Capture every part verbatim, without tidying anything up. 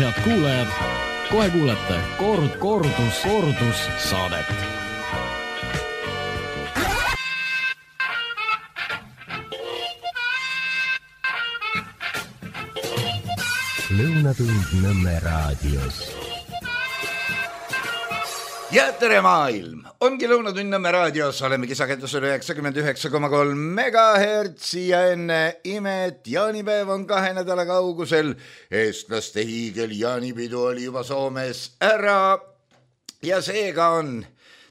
Head kuulajad, kohe kuulete kord, kordus, kordus saadet. Lõunatund Nõmme raadios. Ja tere maailm! Ongi Lõunatund Nõmme raadios, olemegi sagedusel üheksakümmend üheksa koma kolm megahertsi ja enne imet jaanipäev on kahe nädala kaugusel. Eestlaste hiigel jaanipidu oli juba Soomes ära ja seega on,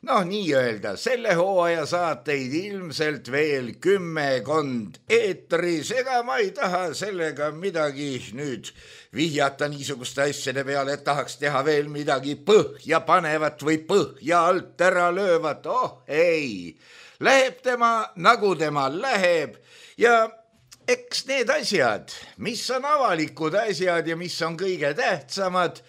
noh nii öelda, selle hooaja saateid ilmselt veel kümmekond eetris, ega ma ei taha sellega midagi nüüd vihjata niisuguste asjade peale, et tahaks teha veel midagi põhja panevat või põhja alt ära löövat. Oh ei, läheb tema nagu tema läheb ja eks need asjad, mis on avalikud asjad ja mis on kõige tähtsamad,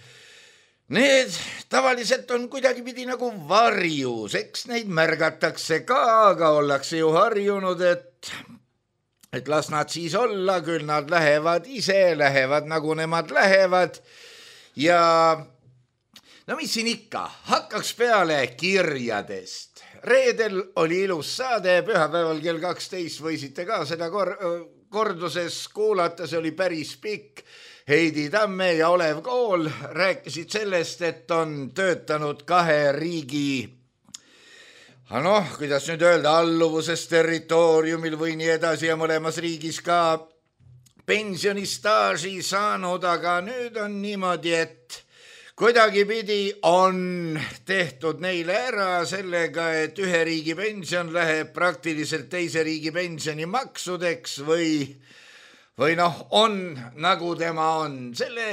need tavaliselt on kuidagipidi nagu varjus, eks neid märgatakse ka, aga ollakse ju harjunud, et et las nad siis olla, küll nad lähevad ise, lähevad nagu nemad lähevad ja no mis siin ikka, hakkaks peale kirjadest. Reedel oli ilus saade, pühapäeval kell kaksteist võisite ka seda kor- korduses kuulata, see oli päris pikk. Heidi Tamme ja Olev Kool rääkisid sellest, et on töötanud kahe riigi noh, kuidas nüüd öelda, alluvuses territooriumil või nii edasi ja mõlemas riigis ka pensionistaaži saanud, aga nüüd on niimoodi, et kuidagipidi on tehtud neile ära sellega, et ühe riigi pension läheb praktiliselt teise riigi pensioni maksudeks või, või noh, on nagu tema on. Selle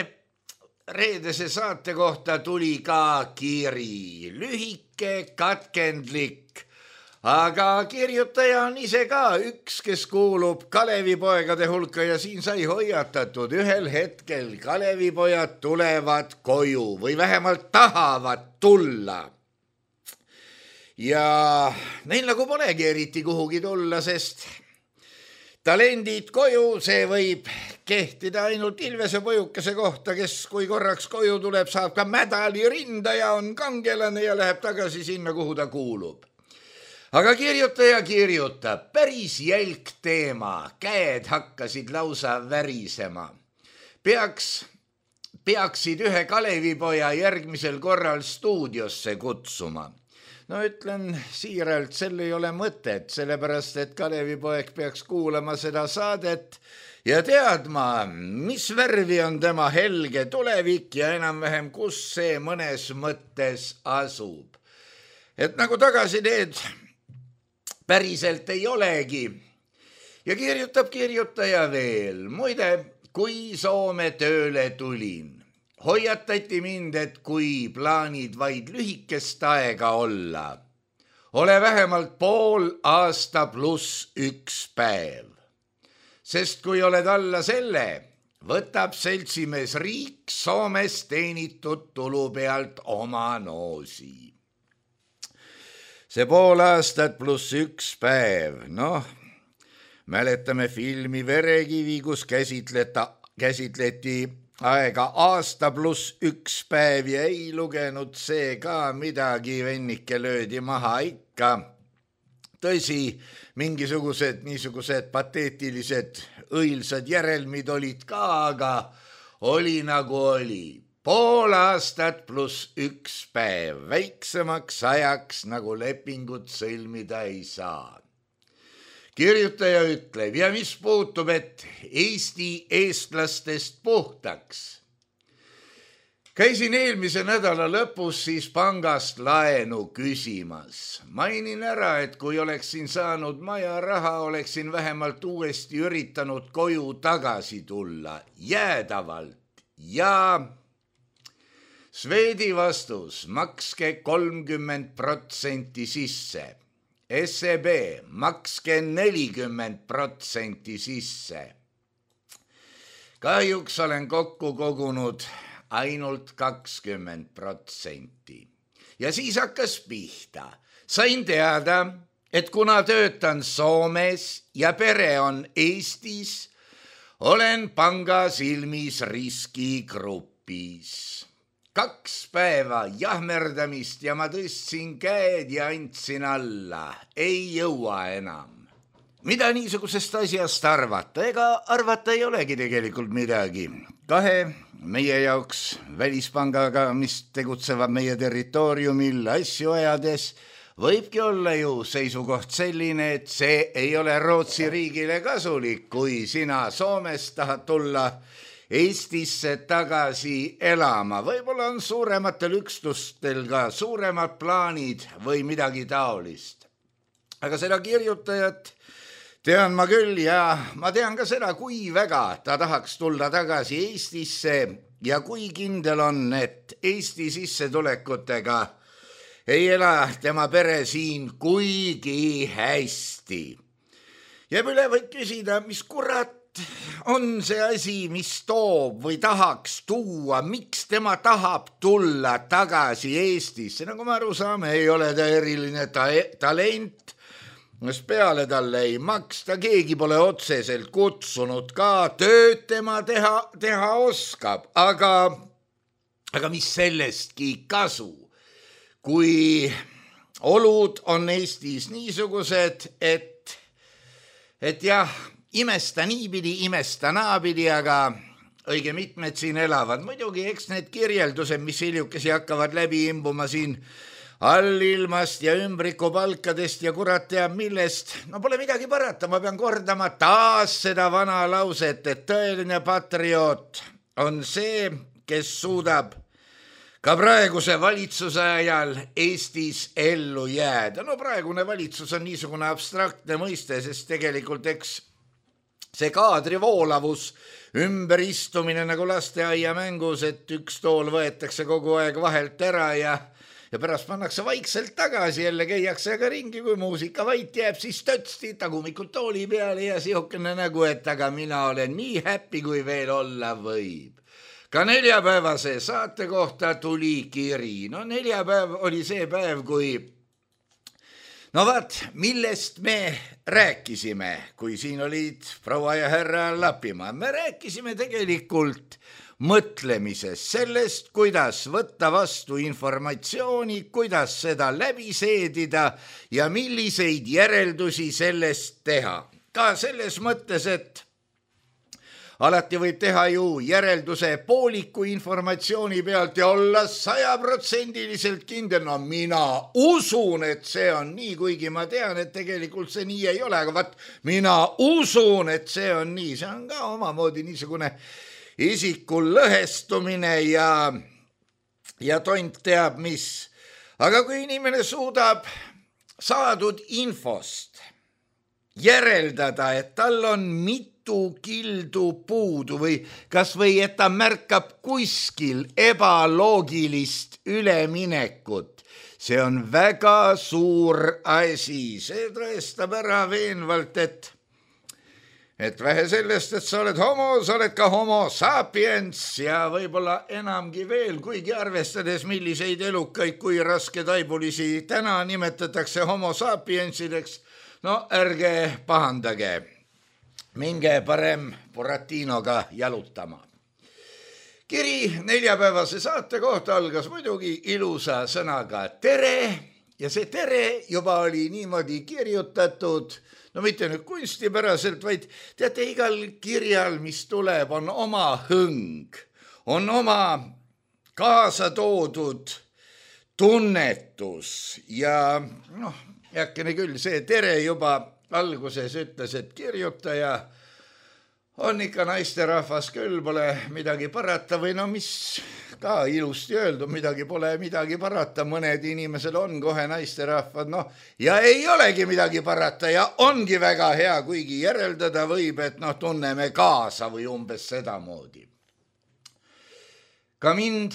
reedese saate kohta tuli ka kiri, lühike, katkendlik, aga kirjutaja on ise ka üks, kes kuulub Kalevipoegade hulka ja siin sai hoiatatud, ühel hetkel Kalevipojad tulevad koju või vähemalt tahavad tulla. Ja neil nagu polegi eriti kuhugi tulla, sest talendid koju, see võib kehtida ainult Ilvese pojukese kohta, kes kui korraks koju tuleb, saab ka mädali rinda ja on kangelane ja läheb tagasi sinna, kuhu ta kuulub. Aga kirjutaja kirjutab, päris jälk teema, käed hakkasid lausa värisema. Peaks, peaksid ühe Kalevipoja järgmisel korral stuudiosse kutsuma. No ütlen siiralt, sel ei ole mõtet, sellepärast, et Kalevipoeg peaks kuulama seda saadet ja teadma, mis värvi on tema helge tulevik ja enam-vähem, kus see mõnes mõttes asub. Et nagu tagasi teed, päriselt ei olegi. Ja kirjutab kirjutaja veel, muide, kui Soome tööle tulin, hoiatati mind, et kui plaanid vaid lühikest aega olla, ole vähemalt pool aasta pluss üks päev. Sest kui oled alla selle, võtab seltsimees riik Soomes teenitud tulu pealt oma noosi. See pool aastat pluss üks päev, noh, mäletame filmi Verekivi, kus käsitleta, käsitleti aega aasta pluss üks päev ja ei lugenud see ka midagi, vennike löödi maha ikka. Tõsi, mingisugused niisugused pateetilised õilsad järelmid olid ka, aga oli nagu oli. Pool aastat pluss üks päev, väiksemaks ajaks nagu lepingut sõlmida ei saa. Kirjutaja ütleb, ja mis puutub, et Eesti eestlastest puhtaks. Käisin eelmise nädala lõpus siis pangast laenu küsimas. Mainin ära, et kui oleksin saanud maja raha, oleksin vähemalt uuesti üritanud koju tagasi tulla, jäädavalt ja Sveedi vastus, makske kolmkümmend protsenti sisse. S E B, makske nelikümmend protsenti sisse. Kahjuks olen kokku kogunud ainult kakskümmend protsenti. Ja siis hakkas pihta. Sain teada, et kuna töötan Soomes ja pere on Eestis, olen panga silmis riskigrupis. hoopis. Kaks päeva jahmerdamist ja ma tõstsin käed ja andsin alla. Ei jõua enam. Mida niisugusest asjast arvata? Ega arvata ei olegi tegelikult midagi. Kahe meie jaoks välispangaga, mis tegutsevad meie territooriumil asju ajades, võibki olla ju seisukoht selline, et see ei ole Rootsi riigile kasulik, kui sina Soomest tahad tulla Eestisse tagasi elama. Võib-olla on suurematel üksustel ka suuremad plaanid või midagi taolist. Aga seda kirjutajat tean ma küll ja ma tean ka seda, kui väga ta tahaks tulla tagasi Eestisse ja kui kindel on, et Eesti sissetulekutega ei ela tema pere siin kuigi hästi. Jääb üle võid küsida, mis kurat on see asi, mis toob või tahaks tuua, miks tema tahab tulla tagasi Eestisse. Nagu me aru saame, ei ole ta eriline ta- talent, mis peale talle ei maksta, keegi pole otseselt kutsunud ka, tööd tema teha, teha oskab, aga, aga mis sellestki kasu, kui olud on Eestis niisugused, et, et jah, imesta niipidi, imesta naapidi, aga õige mitmed siin elavad. Muidugi, eks need kirjeldused, mis hiljukesi hakkavad läbi imbuma siin allilmast ja ümbrikupalkadest ja kurat teab millest, no pole midagi parata, ma pean kordama taas seda vana lauset, et tõeline patrioot on see, kes suudab ka praeguse valitsuse ajal Eestis ellu jääda. No praegune valitsus on niisugune abstraktne mõiste, sest tegelikult eks see kaadrivoolavus, ümberistumine nagu lasteaia mängus, et üks tool võetakse kogu aeg vahelt ära ja, ja pärast pannakse vaikselt tagasi, jälle käiakse aga ringi, kui muusika vait jääb, siis tötsti tagumikult tooli peale ja sihukene nägu, et aga mina olen nii happy, kui veel olla võib. Ka neljapäevase saate kohta tuli kiri. No neljapäev oli see päev, kui no vaat, millest me rääkisime, kui siin olid proua ja härra Lapimaa. Me rääkisime tegelikult mõtlemisest, sellest, kuidas võtta vastu informatsiooni, kuidas seda läbi seedida ja milliseid järeldusi sellest teha. Ka selles mõttes, et alati võib teha ju järelduse pooliku informatsiooni pealt ja olla sajaprotsendiliselt kindel. No mina usun, et see on nii, kuigi ma tean, et tegelikult see nii ei ole, aga vaat mina usun, et see on nii. See on ka omamoodi niisugune isikul lõhestumine ja, ja tont teab mis. Aga kui inimene suudab saadud infost järeldada, et tal on mitu kildu puudu või kas või, et ta märkab kuskil ebaloogilist üleminekut. See on väga suur asi. See tõestab ära veenvalt, et, et vähe sellest, et sa oled homo, sa oled ka homo sapiens ja võib-olla enamgi veel, kuigi arvestades milliseid elukaid, kui raske taibulisi täna nimetatakse homo sapiensideks, no ärge pahandage. Minge parem Buratinoga jalutama. Kiri neljapäevase saate kohta algas muidugi ilusa sõnaga tere ja see tere juba oli niimoodi kirjutatud, no mitte nüüd kunstipäraselt, vaid teate, igal kirjal, mis tuleb, on oma hõng, on oma kaasa toodud tunnetus ja noh, jäkkene küll, see tere juba alguses ütles, et kirjutaja on ikka naisterahvas küll, pole midagi parata või no mis ka ilusti öeldud, midagi pole midagi parata, mõned inimesed on kohe naisterahvad, noh, ja ei olegi midagi parata ja ongi väga hea, kuigi järeldada võib, et noh, tunneme kaasa või umbes sedamoodi. Ka mind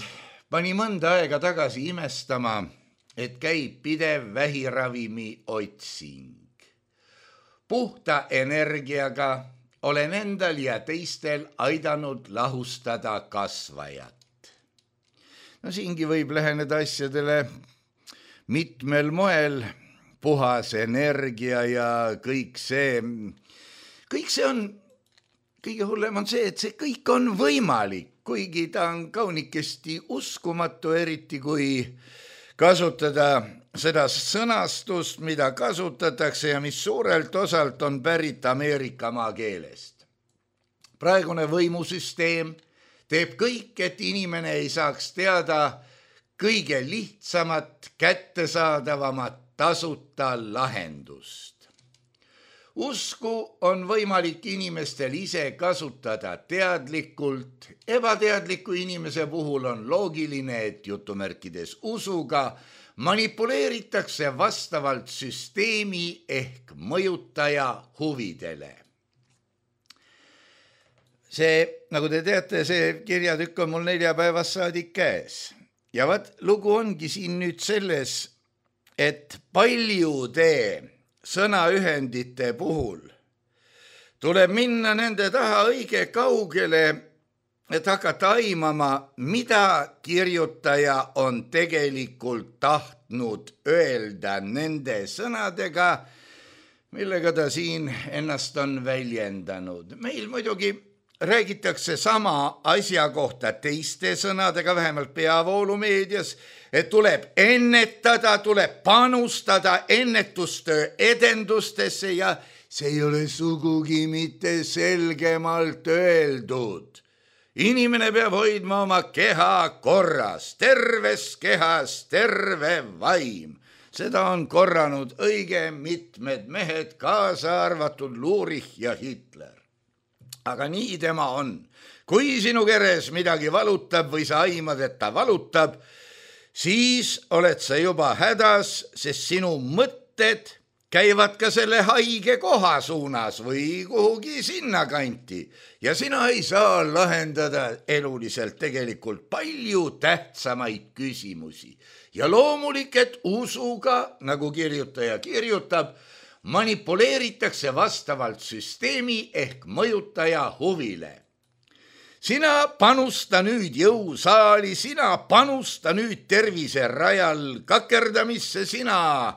pani mõnda aega tagasi imestama, et käib pidev vähiravimi otsing. Puhta energiaga olen endal ja teistel aidanud lahustada kasvajat. No siingi võib läheneda asjadele mitmel moel, puhas energia ja kõik see, kõik see on, kõige hullem on see, et see kõik on võimalik. kuigi ta on kaunikesti uskumatu, eriti kui kasutada seda sõnastust, mida kasutatakse ja mis suurelt osalt on pärit Ameerika maakeelest. Praegune võimusüsteem teeb kõik, et inimene ei saaks teada kõige lihtsamat, kättesaadavamat tasuta lahendust. Usku on võimalik inimestel ise kasutada teadlikult. Ebateadliku inimese puhul on loogiline, et jutumärkides usuga manipuleeritakse vastavalt süsteemi ehk mõjutaja huvidele. See, nagu te teate, see kirjatükk on mul neljapäevast saadik käes. Ja vaat lugu ongi siin nüüd selles, et paljude sõnaühendite puhul tuleb minna nende taha õige kaugele, et hakata aimama, mida kirjutaja on tegelikult tahtnud öelda nende sõnadega, millega ta siin ennast on väljendanud. Meil muidugi räägitakse sama asja kohta teiste sõnadega, vähemalt peavoolumeedias, et tuleb ennetada, tuleb panustada ennetustöö edendustesse ja see ei ole sugugi mitte selgemalt öeldud. Inimene peab hoidma oma keha korras, terves kehas terve vaim. Seda on korranud õige mitmed mehed, kaasa arvatud Lurich ja Hitler. Aga nii tema on. Kui sinu keres midagi valutab või sa aimad, et ta valutab, siis oled sa juba hädas, sest sinu mõtted käivad ka selle haige koha suunas või kuhugi sinna kanti. Ja sina ei saa lahendada eluliselt tegelikult palju tähtsamaid küsimusi. Ja loomulik, et usuga, nagu kirjutaja kirjutab, manipuleeritakse vastavalt süsteemi ehk mõjutaja huvile. Sina panusta nüüd jõusaali, sina panusta nüüd tervise rajal kakerdamisse, sina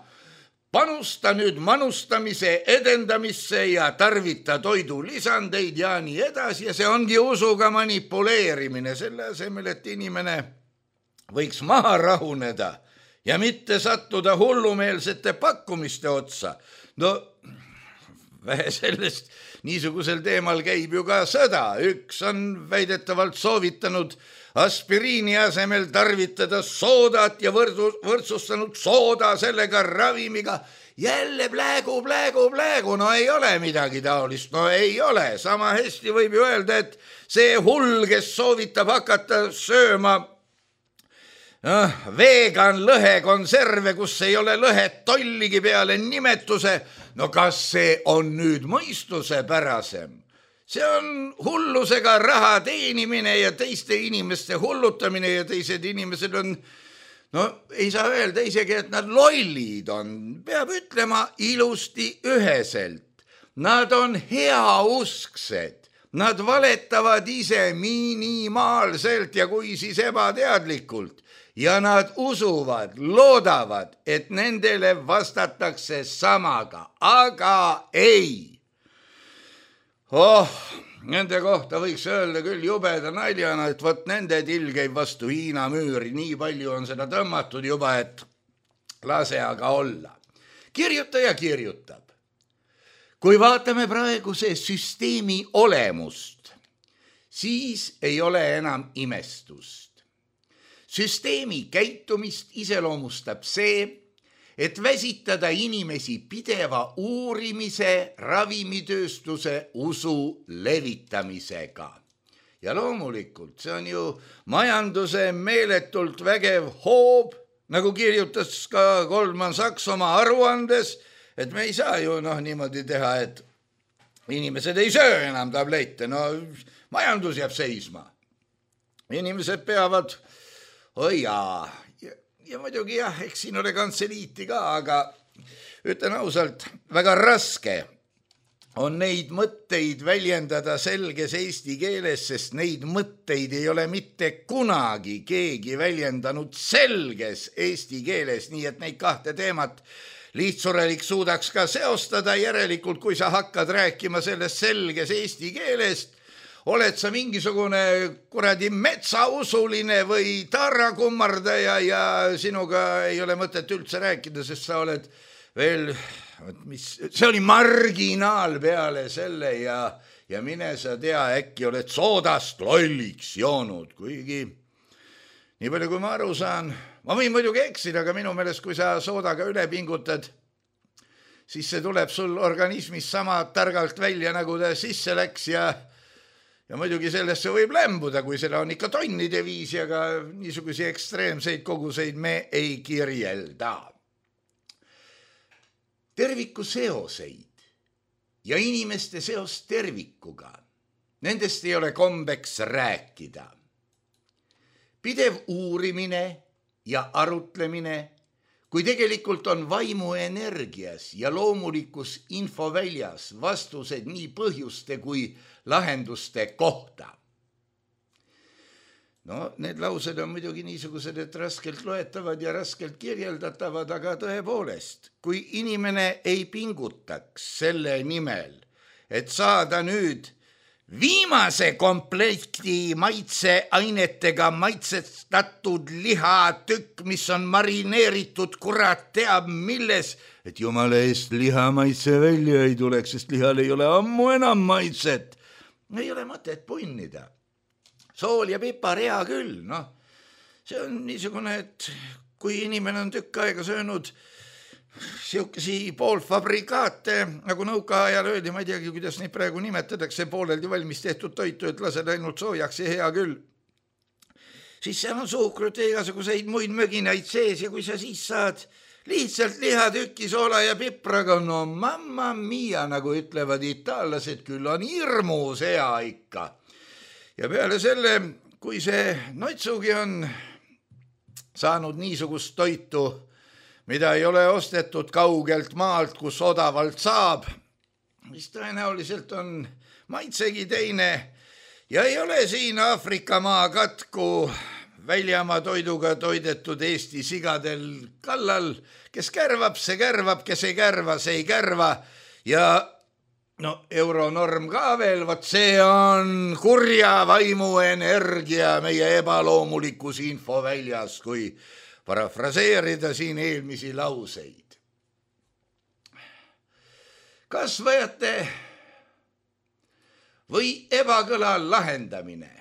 panusta nüüd manustamise edendamisse ja tarvita toidulisandeid ja nii edasi. Ja see ongi usuga manipuleerimine, selle asemel, et inimene võiks maha rahuneda ja mitte sattuda hullumeelsete pakkumiste otsa. No, vähe sellest, niisugusel teemal käib ju ka sõda. Üks on väidetavalt soovitanud aspiriini asemel tarvitada soodat ja võrdsustanud sooda sellega ravimiga. Jälle pläägu, pläägu, pläägu, no ei ole midagi taolist, no ei ole. Sama hästi võib ju öelda, et see hull, kes soovitab hakata sööma No, vegan lõhekonserve, kus ei ole lõhet tolligi peale nimetuse, no kas see on nüüd mõistusepärasem? See on hullusega raha teenimine ja teiste inimeste hullutamine ja teised inimesed on, no ei saa öelda isegi, et nad lollid on. Peab ütlema ilusti üheselt. Nad on heausksed. Nad valetavad ise minimaalselt ja kui siis ebateadlikult. Ja nad usuvad, loodavad, et nendele vastatakse samaga, aga ei. Oh, nende kohta võiks öelda küll jubeda naljana, et võt nende till käib vastu Hiina müüri, nii palju on seda tõmmatud juba, et lase aga olla. Kirjutaja kirjutab. Kui vaatame praeguse süsteemi olemust, siis ei ole enam imestust. Süsteemi käitumist iseloomustab see, et väsitada inimesi pideva uurimise, ravimitööstuse usu levitamisega. Ja loomulikult, see on ju majanduse meeletult vägev hoob, nagu kirjutas ka Goldman Sachs oma aruandes, et me ei saa ju noh niimoodi teha, et inimesed ei söö enam tablette, no majandus jääb seisma. Inimesed peavad oi jaa, ja, ja muidugi jah, eks siin ole kantseliiti ka, aga ütlen ausalt, väga raske on neid mõtteid väljendada selges eesti keeles, sest neid mõtteid ei ole mitte kunagi keegi väljendanud selges eesti keeles, nii et neid kahte teemat lihtsurelik suudaks ka seostada. Järelikult, kui sa hakkad rääkima sellest selges eesti keelest, oled sa mingisugune kuradi metsausuline või taarakummardaja ja sinuga ei ole mõtet üldse rääkida, sest sa oled veel, mis, see oli marginaal peale selle ja, ja mine sa tea, äkki oled soodast lolliks joonud, kuigi nii palju kui ma aru saan, ma võin muidugi eksida, aga minu meelest, kui sa soodaga üle pingutad, siis see tuleb sul organismis sama targalt välja, nagu ta sisse läks ja Ja muidugi sellesse võib lämbuda, kui seda on ikka tonnide viisi, aga niisugusi ekstreemseid koguseid me ei kirjelda. Terviku seoseid ja inimeste seost tervikuga, nendest ei ole kombeks rääkida. Pidev uurimine ja arutlemine, kui tegelikult on vaimu energias ja loomulikus infoväljas vastused nii põhjuste kui lahenduste kohta. No, need laused on muidugi niisugused, et raskelt loetavad ja raskelt kirjeldatavad, aga tõepoolest, kui inimene ei pingutaks selle nimel, et saada nüüd viimase komplekti maitseainetega maitsestatud lihatükk, mis on marineeritud kurat teab milles, et jumala eest liha maitse välja ei tuleks, sest lihal ei ole ammu enam maitset. Ei ole mõtet punnida. Sool ja pipar hea küll, noh. See on niisugune, et kui inimene on tükk aega söönud siukesi poolfabrikaate, nagu nõukaajal öeldi, ma ei teagi, kuidas neid praegu nimetatakse, pooleldi valmis tehtud toitu, et lased ainult soojaks ja hea küll. Siis seal on suhkrut ja igasuguseid muid möginaid sees ja kui sa siis saad lihtsalt lihatükki soola ja pipraga, no mamma mia, nagu ütlevad itaallased, küll on hirmus hea ikka. Ja peale selle, kui see noitsugi on saanud niisugust toitu, mida ei ole ostetud kaugelt maalt, kus odavalt saab, mis tõenäoliselt on maitsegi teine ja ei ole siin Aafrika maa katku väljamaa toiduga toidetud Eesti sigadel kallal, kes kärvab, see kärvab, kes ei kärva, see ei kärva ja no euronorm ka veel, vot see on kurja vaimu energia meie ebaloomulikus infoväljas, kui parafraseerida siin eelmisi lauseid. Kasvajate või ebakõla lahendamine,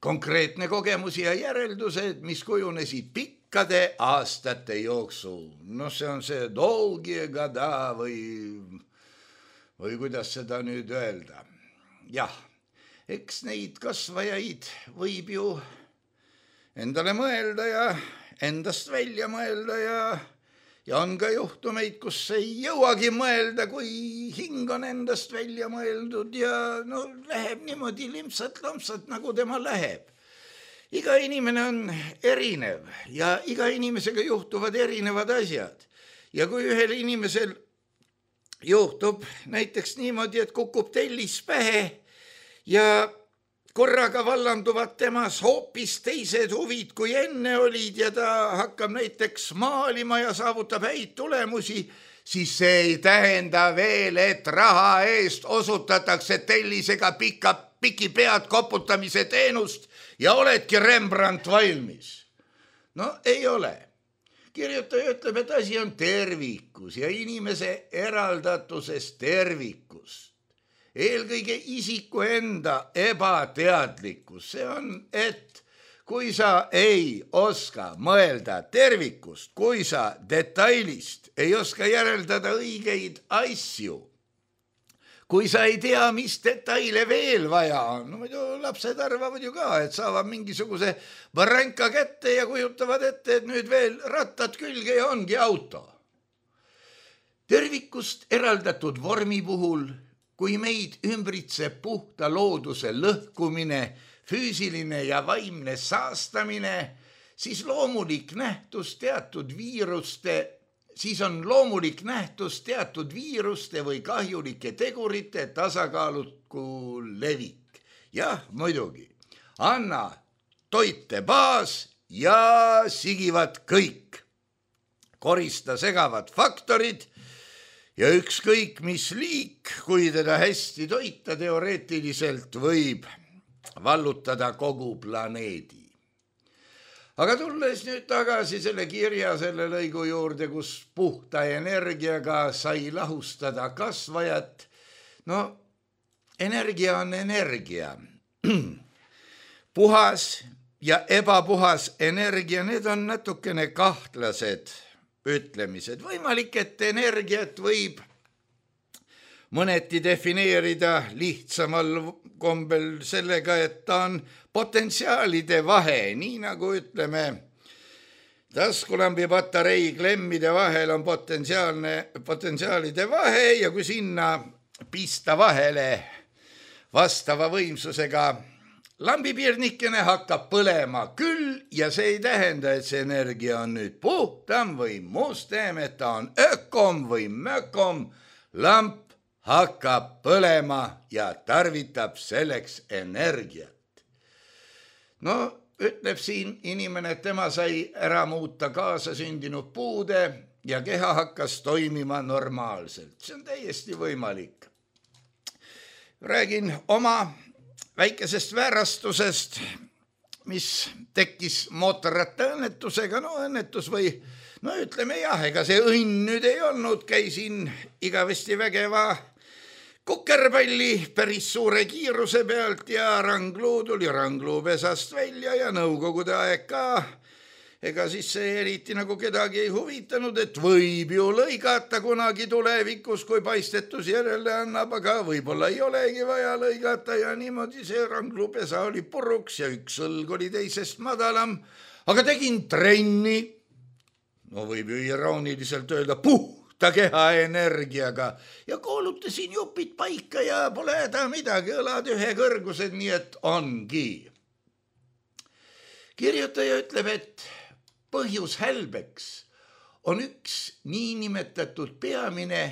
konkreetne kogemus ja järeldused, mis kujunesid pikkade aastate jooksul. No see on see dolgi gada või, või kuidas seda nüüd öelda. Jah, eks neid kasvajaid võib ju endale mõelda ja endast välja mõelda ja, ja on ka juhtumeid, kus ei jõuagi mõelda, kui hing on endast välja mõeldud ja no läheb niimoodi limpsat-lompsat, nagu tema läheb. Iga inimene on erinev ja iga inimesega juhtuvad erinevad asjad. Ja kui ühel inimesel juhtub näiteks niimoodi, et kukub tellis pähe ja korraga vallanduvad temas hoopis teised huvid, kui enne olid ja ta hakkab näiteks maalima ja saavutab häid tulemusi, siis see ei tähenda veel, et raha eest osutatakse tellisega pika, piki pead koputamise teenust ja oledki Rembrandt valmis. No ei ole. Kirjutaja ütleb, et asi on tervikus ja inimese eraldatuses tervikus. Eelkõige isiku enda ebateadlikkus, see on, et kui sa ei oska mõelda tervikust, kui sa detailist ei oska järeldada õigeid asju, kui sa ei tea, mis detaile veel vaja on, no muidu lapsed arvavad ju ka, et saavad mingisuguse varanka kätte ja kujutavad ette, et nüüd veel rattad külge ja ongi auto. Tervikust eraldatud vormi puhul, kui meid ümbritseb puhta looduse lõhkumine, füüsiline ja vaimne saastamine, siis loomulik nähtus teatud viiruste, siis on loomulik nähtus teatud viiruste või kahjulike tegurite tasakaaluku levik. Jah, muidugi, anna toite baas ja sigivad kõik. Korista segavad faktorid ja ükskõik mis liik, kui teda hästi toita teoreetiliselt võib vallutada kogu planeedi. Aga tulles nüüd tagasi selle kirja selle lõigu juurde, kus puhta energiaga sai lahustada kasvajat, no energia on energia. Puhas ja ebapuhas energia, need on natukene kahtlased ütlemised. Võimalik, et energiat võib mõneti defineerida lihtsamal kombel sellega, et ta on potentsiaalide vahe, nii nagu ütleme, taskulambi patarei klemmide vahel on potentsiaalne, potentsiaalide vahe ja kui sinna pista vahele vastava võimsusega lambipiirnikene hakkab põlema küll ja see ei tähenda, et see energia on nüüd puhtam või mustem, et ta on ökom või mökom, lamp hakkab põlema ja tarvitab selleks energiat. No, ütleb siin inimene, et tema sai ära muuta kaasasündinud puude ja keha hakkas toimima normaalselt. See on täiesti võimalik. Räägin oma väikesest väärastusest, mis tekkis mootorratta õnnetusega, no õnnetus või, no ütleme jah, ega see õnn nüüd ei olnud, käisin igavesti vägeva kukerpalli päris suure kiiruse pealt ja rangluu tuli rangluupesast välja ja nõukogude aeg ka. Ega siis see eriti nagu kedagi ei huvitanud, et võib ju lõigata kunagi tulevikus, kui paistetus järele annab, aga võib-olla ei olegi vaja lõigata ja niimoodi see rangluupesa oli puruks ja üks õlg oli teisest madalam, aga tegin trenni, no võib ju irooniliselt öelda puhta keha energiaga ja koolutasin jupid paika ja pole häda midagi, õlad ühe kõrgused, nii et ongi. Kirjutaja ütleb, et põhjus hälbeks on üks niinimetatud peamine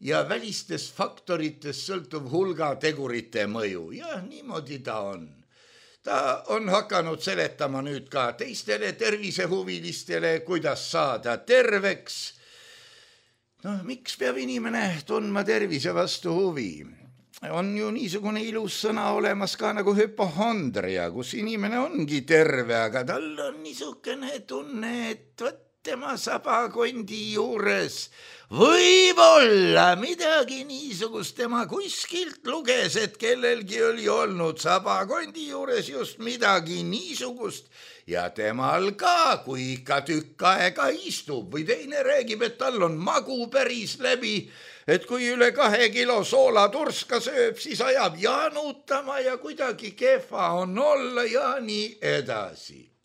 ja välistest faktoritest sõltuv hulga tegurite mõju. Ja niimoodi ta on. Ta on hakanud seletama nüüd ka teistele tervisehuvilistele, kuidas saada terveks. No, miks peab inimene tundma tervise vastu huvi? On ju niisugune ilus sõna olemas ka nagu hüpohondria, kus inimene ongi terve, aga tal on niisugune tunne, et võt tema sabakondi juures võib-olla midagi niisugust tema kuskilt luges, et kellelgi oli olnud sabakondi juures just midagi niisugust ja temal ka, kui ikka tükk aega istub või teine räägib, et tal on magu päris läbi, et kui üle kahe kilo soolaturska sööb, siis ajab janutama ja kuidagi kehva on olla ja nii edasi.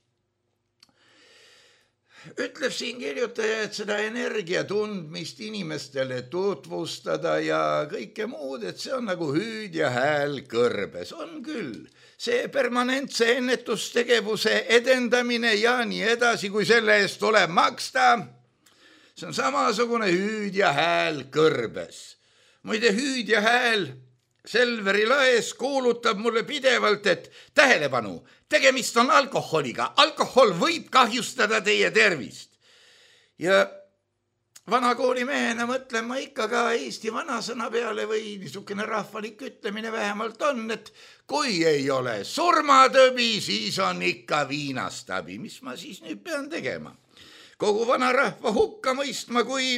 Ütleb siin kirjutaja, et seda energia tundmist inimestele tutvustada ja kõike muud, et see on nagu hüüd ja hääl kõrbes. On küll see permanentse ennetustegevuse edendamine ja nii edasi, kui selle eest tuleb maksta. See on samasugune hüüd ja hääl kõrbes. Muide, hüüd ja hääl Selveri laes kuulutab mulle pidevalt, et tähelepanu, tegemist on alkoholiga. Alkohol võib kahjustada teie tervist. Ja vanakooli mehena mõtlen ma ikka ka Eesti vanasõna peale või niisugune rahvalik ütlemine vähemalt on, et kui ei ole surmatõbi, siis on ikka viinastabi. Mis ma siis nüüd pean tegema? Kogu vanarahva hukka mõistma kui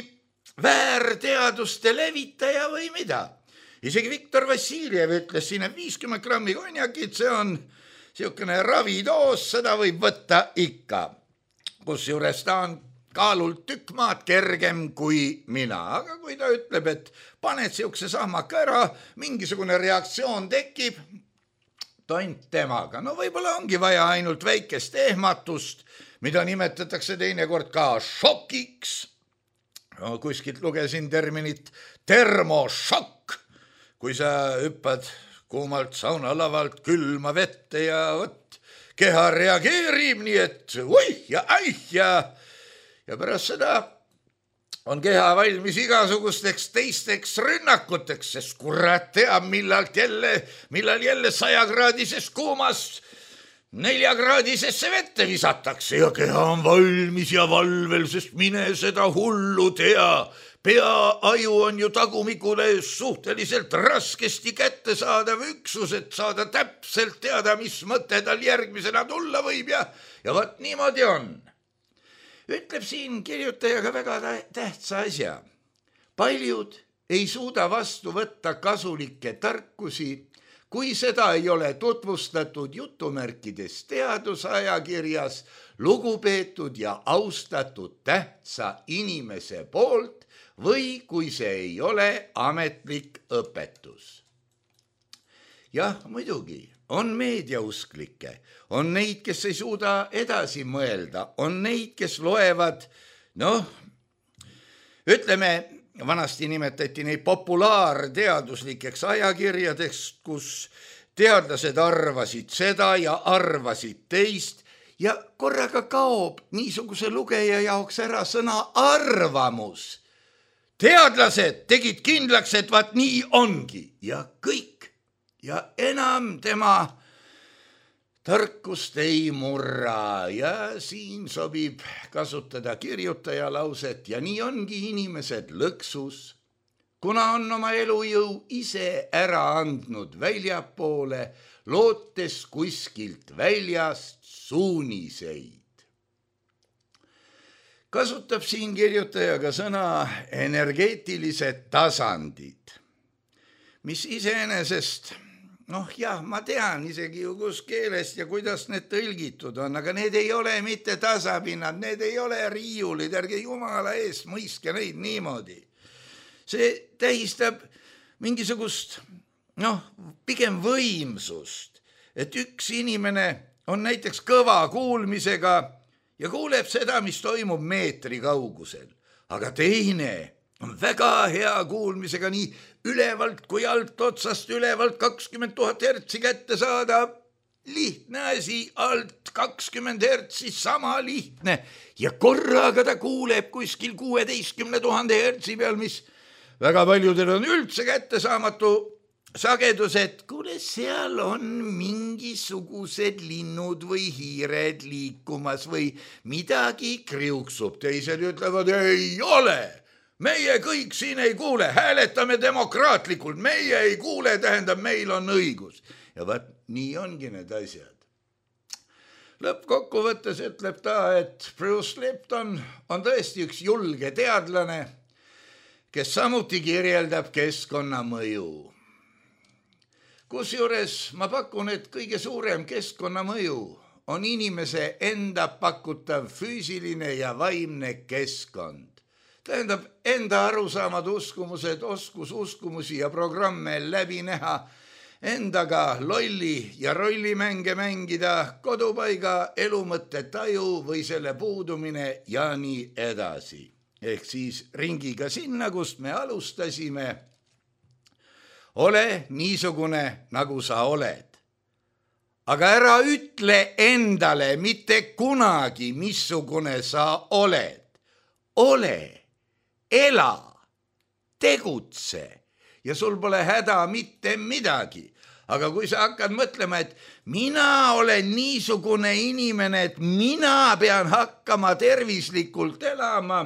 väärteaduste levitaja või mida? Isegi Viktor Vassiljev ütles siin, et viiskümmend grammi konjakit, see on siukene ravidoos, seda võib võtta ikka. Kusjuures ta on kaalult tükk maad kergem kui mina. Aga kui ta ütleb, et paned siukse sahmaka ära, mingisugune reaktsioon tekib, tont temaga. No võib-olla ongi vaja ainult väikest ehmatust, mida nimetatakse teinekord ka šokiks. No, kuskilt lugesin terminit termošokk, kui sa hüppad kuumalt saunalavalt külma vette ja võt, keha reageerib nii, et uih ja aih ja, ja pärast seda on keha valmis igasugusteks teisteks rünnakuteks, sest kurat teab, millal jälle, millal jälle sajakraadises kuumas neljakraadisesse vette visatakse ja keha on valmis ja valvel, sest mine seda hullu tea. Peaaju on ju tagumikule suhteliselt raskesti kätte saadav üksus, et saada täpselt teada, mis mõte tal järgmisena tulla võib ja, ja vaat niimoodi on. Ütleb siin kirjutajaga väga tähtsa asja. Paljud ei suuda vastu võtta kasulikke tarkusi, kui seda ei ole tutvustatud jutumärkides teadusajakirjas lugupeetud ja austatud tähtsa inimese poolt või kui see ei ole ametlik õpetus. Jah, muidugi, on meediausklikke, on neid, kes ei suuda edasi mõelda, on neid, kes loevad, noh, ütleme, vanasti nimetati neid populaarteaduslikeks ajakirjadeks, kus teadlased arvasid seda ja arvasid teist ja korraga kaob niisuguse lugeja jaoks ära sõna arvamus. Teadlased tegid kindlaks, et vaat nii ongi ja kõik ja enam tema tarkust ei murra ja siin sobib kasutada kirjutaja lauset ja nii ongi inimesed lõksus, kuna on oma elujõu ise ära andnud väljapoole, lootes kuskilt väljast suuniseid. Kasutab siin kirjutajaga sõna energeetilised tasandid, mis iseenesest, noh jah, ma tean isegi ju kus keelest ja kuidas need tõlgitud on, aga need ei ole mitte tasapinnad, need ei ole riiulid, ärge jumala eest mõistke neid niimoodi. See tähistab mingisugust, noh, pigem võimsust, et üks inimene on näiteks kõva kuulmisega ja kuuleb seda, mis toimub meetri kaugusel, aga teine on väga hea kuulmisega nii ülevalt kui alt otsast ülevalt kakskümmend tuhat hertsi kätte saada. Lihtne asi, alt kakskümmend hertsi, sama lihtne ja korraga ta kuuleb kuskil kuueteistkümne tuhande hertsi peal, mis väga paljudel on üldse kättesaamatu sagedus, et kuule, seal on mingisugused linnud või hiired liikumas või midagi kriuksub. Teised ütlevad, ei ole, meie kõik siin ei kuule, hääletame demokraatlikult, meie ei kuule, tähendab, meil on õigus. Ja vaat nii ongi need asjad. Lõppkokkuvõttes ütleb ta, et Bruce Lipton on tõesti üks julge teadlane, kes samuti kirjeldab keskkonnamõju. Kusjuures ma pakun, et kõige suurem keskkonnamõju on inimese enda pakutav füüsiline ja vaimne keskkond. Tähendab, enda arusaamad, uskumused, oskus uskumusi ja programme läbi näha, endaga lolli ja rollimänge mängida, kodupaiga elumõtte taju või selle puudumine ja nii edasi. Ehk siis ringiga sinna, kust me alustasime. Ole niisugune, nagu sa oled. Aga ära ütle endale mitte kunagi, missugune sa oled. Ole, ela, tegutse ja sul pole häda mitte midagi. Aga kui sa hakkad mõtlema, et mina olen niisugune inimene, et mina pean hakkama tervislikult elama,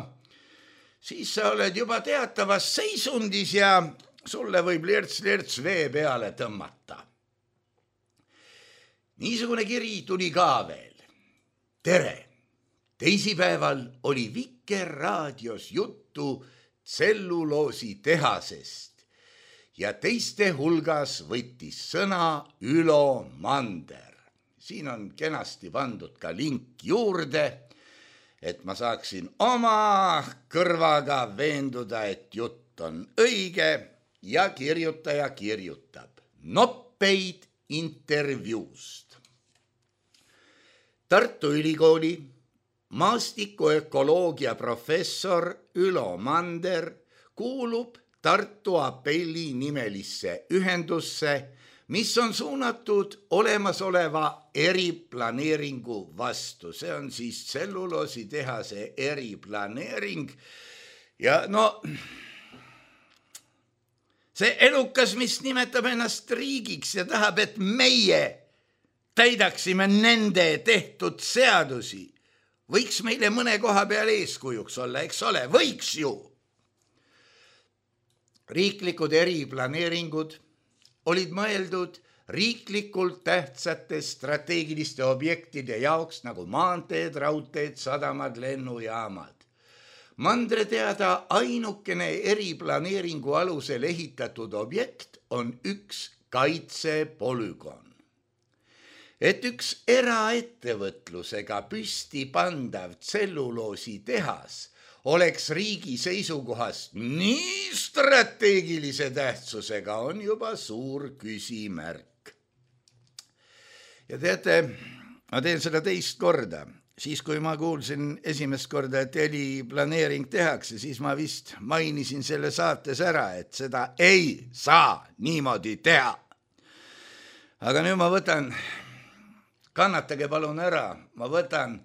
siis sa oled juba teatavas seisundis ja sulle võib lirts-lirts vee peale tõmmata. Niisugune kiri tuli ka veel. Tere! Teisipäeval oli Vikerraadios juttu tselluloositehasest ja teiste hulgas võttis sõna Ülo Mander. Siin on kenasti pandud ka link juurde, et ma saaksin oma kõrvaga veenduda, et jutt on õige ja kirjutaja kirjutab noppeid intervjuust. Tartu Ülikooli maastikuökoloogia professor Ülo Mander kuulub Tartu Apelli nimelisse ühendusse, mis on suunatud olemasoleva eriplaneeringu vastu. See on siis tselluloositehase eriplaneering ja no see elukas, mis nimetab ennast riigiks ja tahab, et meie täidaksime nende tehtud seadusi, võiks meile mõne koha peal eeskujuks olla, eks ole, võiks ju. Riiklikud eriplaneeringud olid mõeldud riiklikult tähtsate strateegiliste objektide jaoks nagu maanteed, raudteed, sadamad, lennujaamad. Mandre teada ainukene eriplaneeringu alusel ehitatud objekt on üks kaitsepolügoon. Et üks eraettevõtlusega püsti pandav tselluloosi tehas oleks riigi seisukohast nii strateegilise tähtsusega, on juba suur küsimärk. Ja teate, ma teen seda teist korda. Siis, kui ma kuulsin esimest korda, et eriplaneering tehakse, siis ma vist mainisin selle saates ära, et seda ei saa niimoodi teha. Aga nüüd ma võtan, kannatage palun ära, ma võtan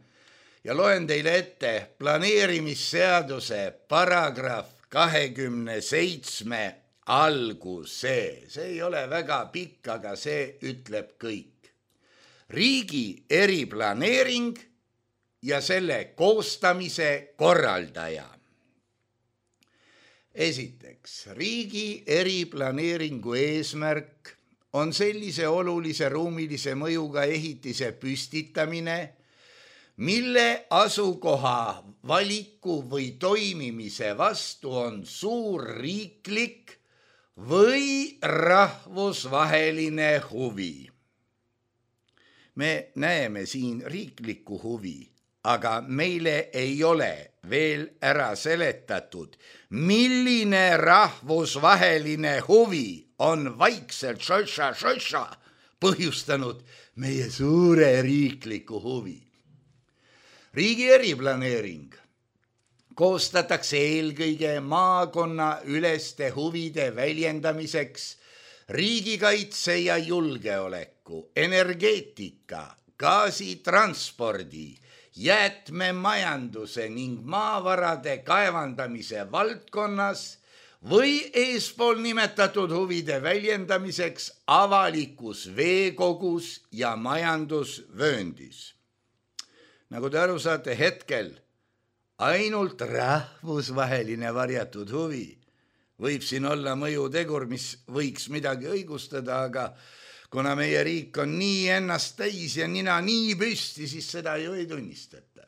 ja loen teile ette planeerimisseaduse paragrahv kahekümne seitsme alguse. See ei ole väga pikk, aga see ütleb kõik. Riigi eriplaneering ja selle koostamise korraldaja. Esiteks, riigi eriplaneeringu eesmärk on sellise olulise ruumilise mõjuga ehitise püstitamine, mille asukoha valiku või toimimise vastu on suur riiklik või rahvusvaheline huvi. Me näeme siin riiklikku huvi, aga meile ei ole veel ära seletatud, milline rahvusvaheline huvi on vaikselt šoša-šoša põhjustanud meie suure riikliku huvi. Riigi eriplaneering koostatakse eelkõige maakonna üleste huvide väljendamiseks riigikaitse ja julgeoleku, energeetika, gaasitranspordi, jäätmemajanduse ning maavarade kaevandamise valdkonnas või eespool nimetatud huvide väljendamiseks avalikus veekogus ja majandusvööndis. Nagu te aru saate, hetkel ainult rahvusvaheline varjatud huvi võib siin olla mõjutegur, mis võiks midagi õigustada, aga kuna meie riik on nii ennast täis ja nina nii püsti, siis seda ju ei tunnistata.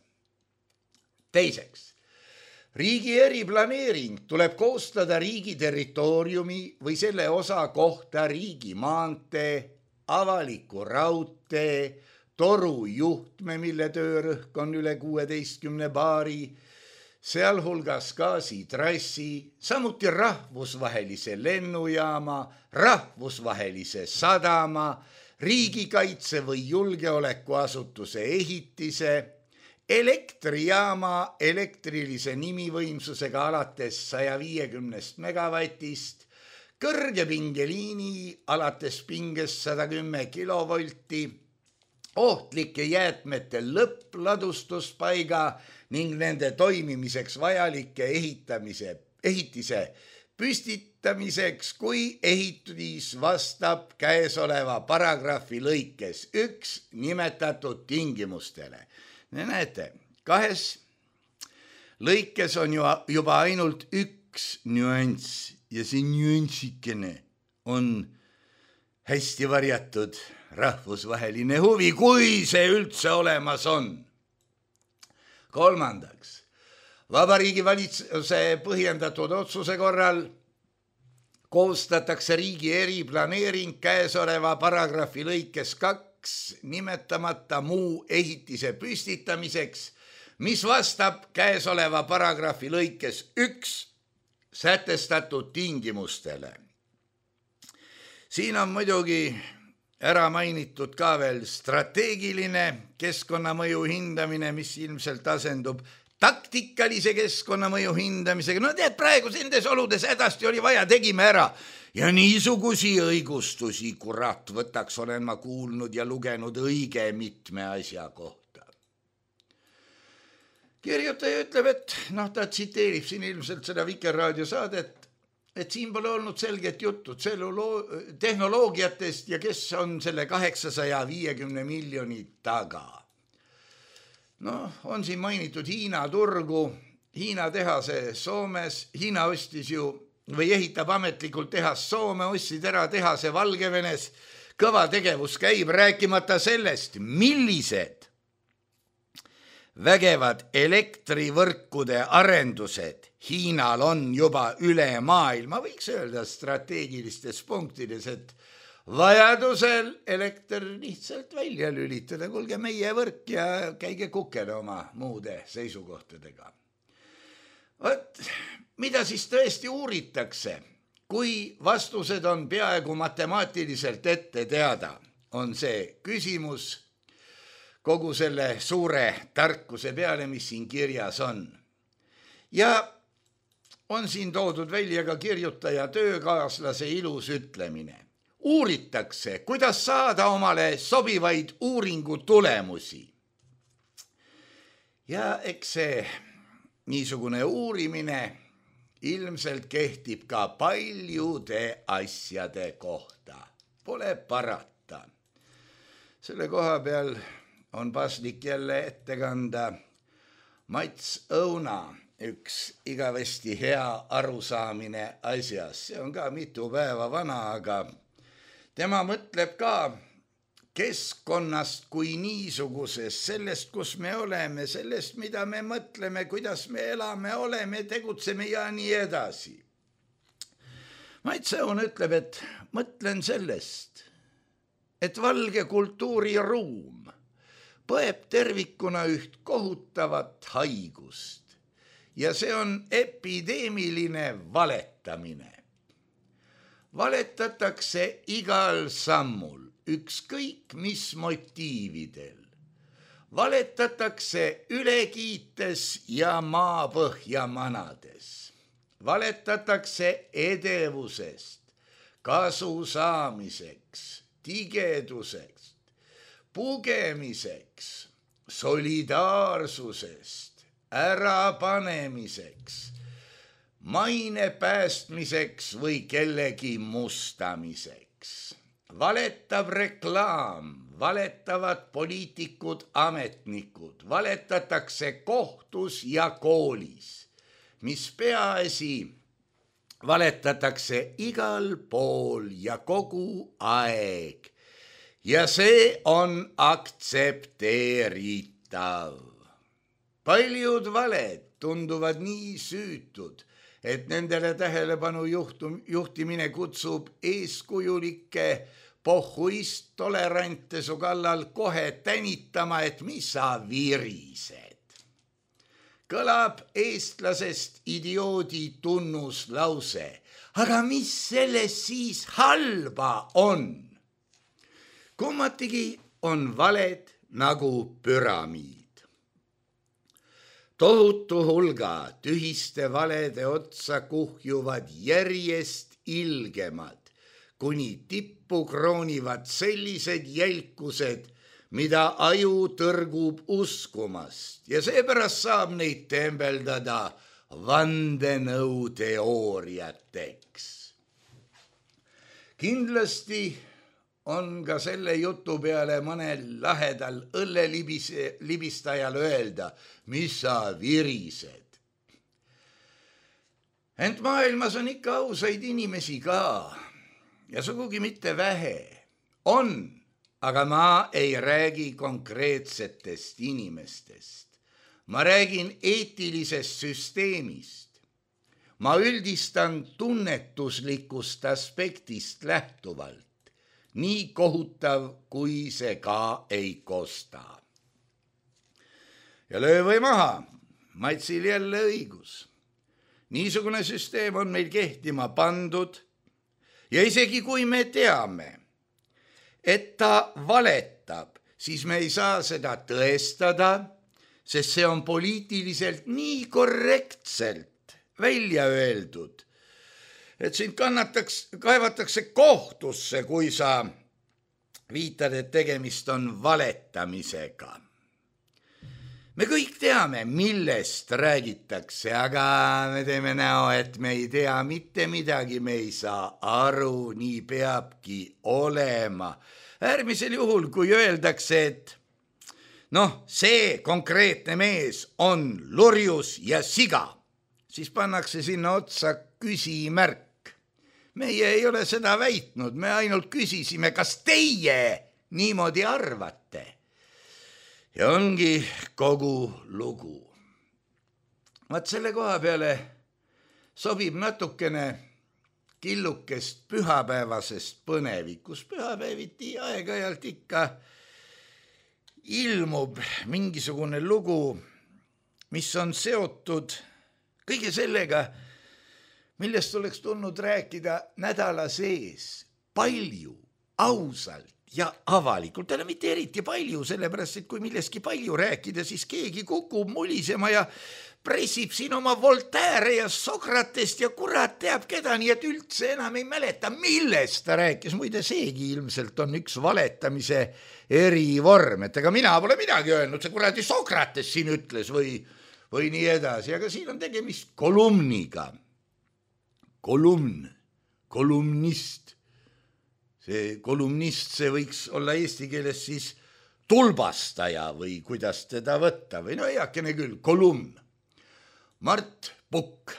Teiseks, riigi eriplaneering tuleb koostada riigi territooriumi või selle osa kohta riigi maantee, avaliku raudtee, toru juhtme, mille töörõhk on üle kuueteistkümne baari, sealhulgas gaasitrassi, samuti rahvusvahelise lennujaama, rahvusvahelise sadama, riigikaitse või julgeolekuasutuse ehitise, elektrijaama elektrilise nimivõimsusega alates saja viiekümnest megavatist, kõrgepingeliini alates pingest sada kümme kilovolti, ohtlike jäätmete lõppladustuspaiga ning nende toimimiseks vajalike ehitamise, ehitise püstitamiseks, kui ehitis vastab käesoleva paragrahvi lõikes üks nimetatud tingimustele. Näete, kahes lõikes on ju juba ainult üks nüanss ja see nüanssikene on hästi varjatud rahvusvaheline huvi, kui see üldse olemas on. Kolmandaks, Vabariigi Valitsuse põhjendatud otsuse korral koostatakse riigi eriplaneering käesoleva paragrahvi lõikes kaks nimetamata muu ehitise püstitamiseks, mis vastab käesoleva paragrahvi lõikes üks sätestatud tingimustele. Siin on muidugi ära mainitud ka veel strateegiline keskkonnamõju hindamine, mis ilmselt asendub taktikalise keskkonnamõju hindamisega. No tead, praegu nendes oludes hädasti oli vaja, tegime ära. Ja niisugusi õigustusi, kurat, võtaks olen ma kuulnud ja lugenud õige mitme asja kohta. Kirjutaja ütleb, et noh, ta tsiteerib siin ilmselt seda Vikerraadio saadet, et siin pole olnud selget juttu tselluloo- tehnoloogiatest ja kes on selle kaheksasaja viiekümne miljoni taga. No, on siin mainitud Hiina turgu, Hiina tehase Soomes, Hiina ostis ju või ehitab ametlikult tehas Soome, ostsid ära tehase Valgevenes, kõva tegevus käib, rääkimata sellest, millised vägevad elektrivõrkude arendused Hiinal on juba üle maailma, võiks öelda strateegilistes punktides, et vajadusel elekter lihtsalt välja lülitada, kuulge meie võrk ja käige kukele oma muude seisukohtadega. Võt, mida siis tõesti uuritakse, kui vastused on peaaegu matemaatiliselt ette teada, on see küsimus kogu selle suure tarkuse peale, mis siin kirjas on. Ja on siin toodud välja ka kirjutaja töökaaslase ilus ütlemine. Uuritakse, kuidas saada omale sobivaid uuringu tulemusi. Ja eks see niisugune uurimine ilmselt kehtib ka paljude asjade kohta. Pole parata. Selle koha peal on paslik jälle ette kanda Mats Õuna, üks igavesti hea arusaamine asjas. See on ka mitu päeva vana, aga tema mõtleb ka keskkonnast kui niisugusest, sellest, kus me oleme, sellest, mida me mõtleme, kuidas me elame, oleme, tegutseme ja nii edasi. Mats Õun ütleb, et mõtlen sellest, et valge kultuuriruum põeb tervikuna üht kohutavat haigust ja see on epideemiline valetamine. Valetatakse igal sammul, ükskõik mis motiividel. Valetatakse ülekiites ja maapõhja manades. Valetatakse edevusest, kasu saamiseks, tigeduseks, pugemiseks, solidaarsusest, ärapanemiseks, maine päästmiseks või kellegi mustamiseks. Valetab reklaam, valetavad poliitikud, ametnikud, valetatakse kohtus ja koolis, mis peaasi valetatakse igal pool ja kogu aeg. Ja see on aktsepteeritav. Paljud valed tunduvad nii süütud, et nendele tähelepanu juhtum, juhtimine kutsub eeskujulikke pohhuist tolerante su kallal kohe tänitama, et mis sa virised. Kõlab eestlasest idioodi tunnuslause, aga mis selles siis halba on? Kummatigi on valed nagu püramiid. Tohutu hulga tühiste valede otsa kuhjuvad järjest ilgemad, kuni tippu kroonivad sellised jälkused, mida aju tõrgub uskumast ja seepärast saab neid tembeldada vandenõuteooriateks. Kindlasti on ka selle jutu peale mõnel lahedal õllelibistajal öelda, mis sa virised. Ent maailmas on ikka ausaid inimesi ka ja sugugi mitte vähe. On, aga ma ei räägi konkreetsetest inimestest. Ma räägin eetilisest süsteemist. Ma üldistan tunnetuslikust aspektist lähtuvalt. Nii kohutav, kui see ka ei kosta. Ja löö või maha, Matsil jälle õigus. Niisugune süsteem on meil kehtima pandud ja isegi kui me teame, et ta valetab, siis me ei saa seda tõestada, sest see on poliitiliselt nii korrektselt välja öeldud, et sind kannataks, kaevatakse kohtusse, kui sa viitad, et tegemist on valetamisega. Me kõik teame, millest räägitakse, aga me teeme näo, et me ei tea mitte midagi, me ei saa aru, nii peabki olema. Äärmisel juhul, kui öeldakse, et noh, see konkreetne mees on lurjus ja siga, siis pannakse sinna otsa küsimärk. Meie ei ole seda väitnud, me ainult küsisime, kas teie niimoodi arvate. Ja ongi kogu lugu. Vaat selle koha peale sobib natukene killukest pühapäevasest põnevikus. Pühapäeviti aeg-ajalt ikka ilmub mingisugune lugu, mis on seotud kõige sellega, millest oleks tulnud rääkida nädala sees palju, ausalt ja avalikult. Täna mitte eriti palju, sellepärast, et kui milleski palju rääkida, siis keegi kukub mulisema ja pressib siin oma Voltaire ja Sokratest ja kurat teab keda, nii et üldse enam ei mäleta, millest ta rääkis. Muide, seegi ilmselt on üks valetamise erivorm, et ega mina pole midagi öelnud, see kuradi Sokrates siin ütles või, või nii edasi, aga siin on tegemist kolumniga. Kolumn, kolumnist. See kolumnist, see võiks olla eesti keeles siis tulbastaja või kuidas teda võtta või no eakene küll, kolumn. Mart Pukk.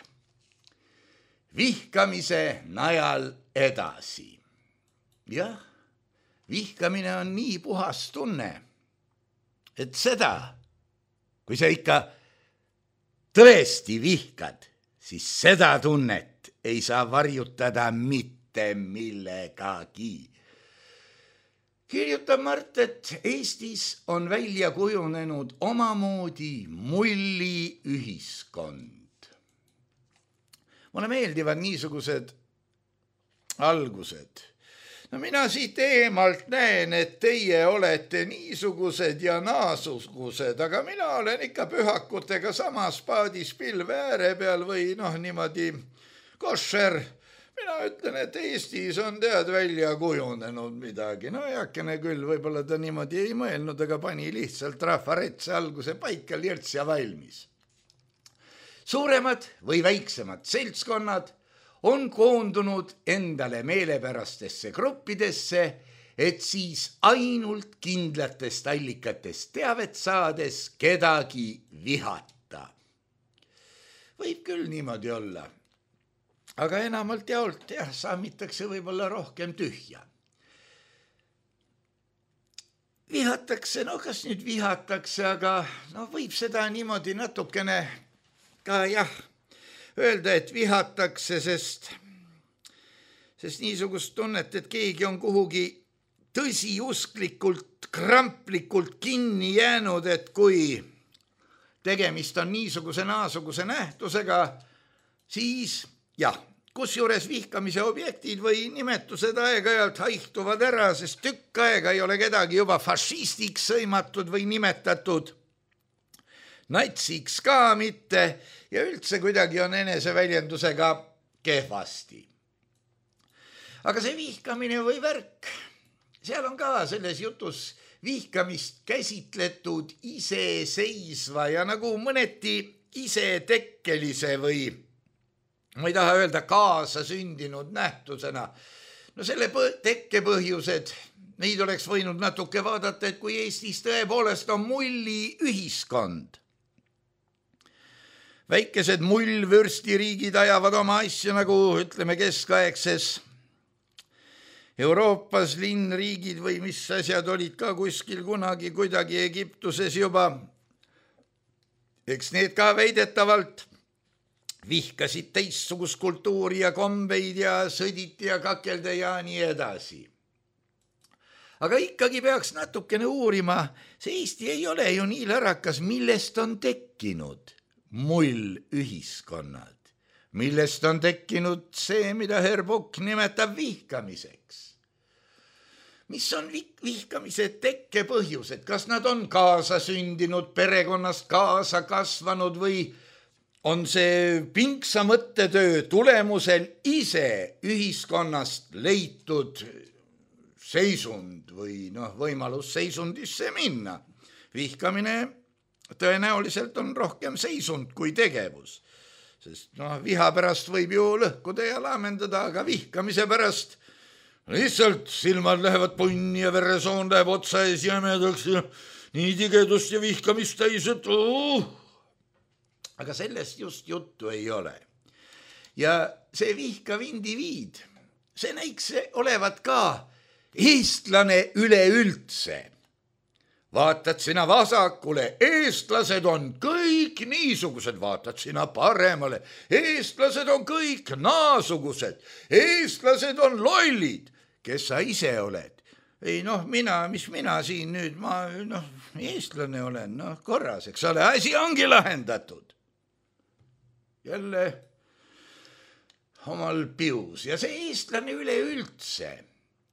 Vihkamise najal edasi. Jah, vihkamine on nii puhas tunne, et seda, kui sa ikka tõesti vihkad, siis seda tunnet ei saa varjutada mitte millegagi. Kirjutab Mart, et Eestis on välja kujunenud omamoodi mulli ühiskond. Mulle meeldivad niisugused algused. No mina siit eemalt näen, et teie olete niisugused ja naasugused, aga mina olen ikka pühakutega samas paadis pilve ääre peal või noh, niimoodi košer. Mina ütlen, et Eestis on tead välja kujunenud midagi. No eakene küll, võib-olla ta niimoodi ei mõelnud, aga pani lihtsalt rahvaretse alguse paika lirts ja valmis. Suuremad või väiksemad seltskonnad on koondunud endale meelepärastesse gruppidesse, et siis ainult kindlatest allikatest teavet saades kedagi vihata. Võib küll niimoodi olla. Aga enamalt jaolt jah, saamitakse võib-olla rohkem tühja. Vihatakse, no kas nüüd vihatakse, aga no võib seda niimoodi natukene ka jah, öelda, et vihatakse, sest, sest niisugust tunnet, et keegi on kuhugi tõsiusklikult, kramplikult kinni jäänud, et kui tegemist on niisuguse naasuguse nähtusega, siis jah, kusjuures vihkamise objektid või nimetused aeg-ajalt haihtuvad ära, sest tükk aega ei ole kedagi juba fašistiks sõimatud või nimetatud, natsiks ka mitte ja üldse kuidagi on eneseväljendusega kehvasti. Aga see vihkamine või värk, seal on ka selles jutus vihkamist käsitletud iseseisva ja nagu mõneti isetekkelise või ma ei taha öelda kaasa sündinud nähtusena. No selle tekkepõhjused, neid oleks võinud natuke vaadata, et kui Eestis tõepoolest on mulli ühiskond. Väikesed mullvürstiriigid ajavad oma asju nagu ütleme keskaegses Euroopas linnriigid või mis asjad olid ka kuskil kunagi kuidagi Egiptuses juba. Eks need ka väidetavalt vihkasid teistsugust kultuuri ja kombeid ja sõditi ja kakelda ja nii edasi. Aga ikkagi peaks natukene uurima, see Eesti ei ole ju nii lärakas, millest on tekkinud mull ühiskonnad, millest on tekkinud see, mida Herr Pukk nimetab vihkamiseks. Mis on vihkamise tekkepõhjused, kas nad on kaasa sündinud, perekonnast kaasa kasvanud või on see pinksa mõttetöö tulemusel ise ühiskonnast leitud seisund või noh, võimalus seisundisse minna. Vihkamine tõenäoliselt on rohkem seisund kui tegevus. Sest noh, viha pärast võib ju lõhkuda ja laamendada, aga vihkamise pärast lihtsalt silmad lähevad punni ja veresoon läheb otsa ees jämedaks ja nii tigedust ja vihkamist täis, et uh! aga sellest just juttu ei ole. Ja see vihkav indiviid, see näiks olevat ka eestlane üleüldse. Vaatad sina vasakule, eestlased on kõik niisugused, vaatad sina paremale, eestlased on kõik naasugused, eestlased on lollid, kes sa ise oled. Ei noh, mina, mis mina siin nüüd, ma noh, eestlane olen, noh korras, eks ole, asi ongi lahendatud. Jälle omal pius ja see eestlane üleüldse,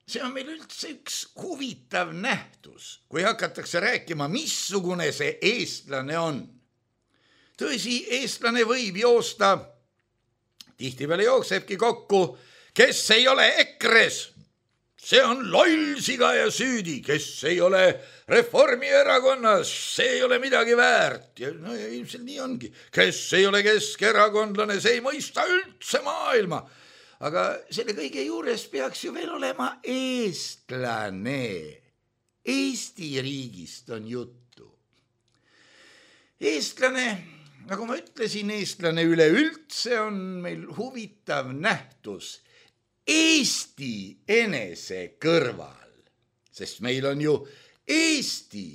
see on meil üldse üks huvitav nähtus, kui hakatakse rääkima, missugune see eestlane on. Tõsi, eestlane võib joosta, tihtipeale jooksebki kokku, kes ei ole ekres, see on loll siga ja süüdi, kes ei ole Reformierakonnas, see ei ole midagi väärt. Ja no ja ilmselt nii ongi, kes ei ole keskerakondlane, see ei mõista üldse maailma. Aga selle kõige juures peaks ju veel olema eestlane. Eesti riigist on juttu. Eestlane, nagu ma ütlesin, eestlane üleüldse on meil huvitav nähtus Eesti enese kõrval, sest meil on ju Eesti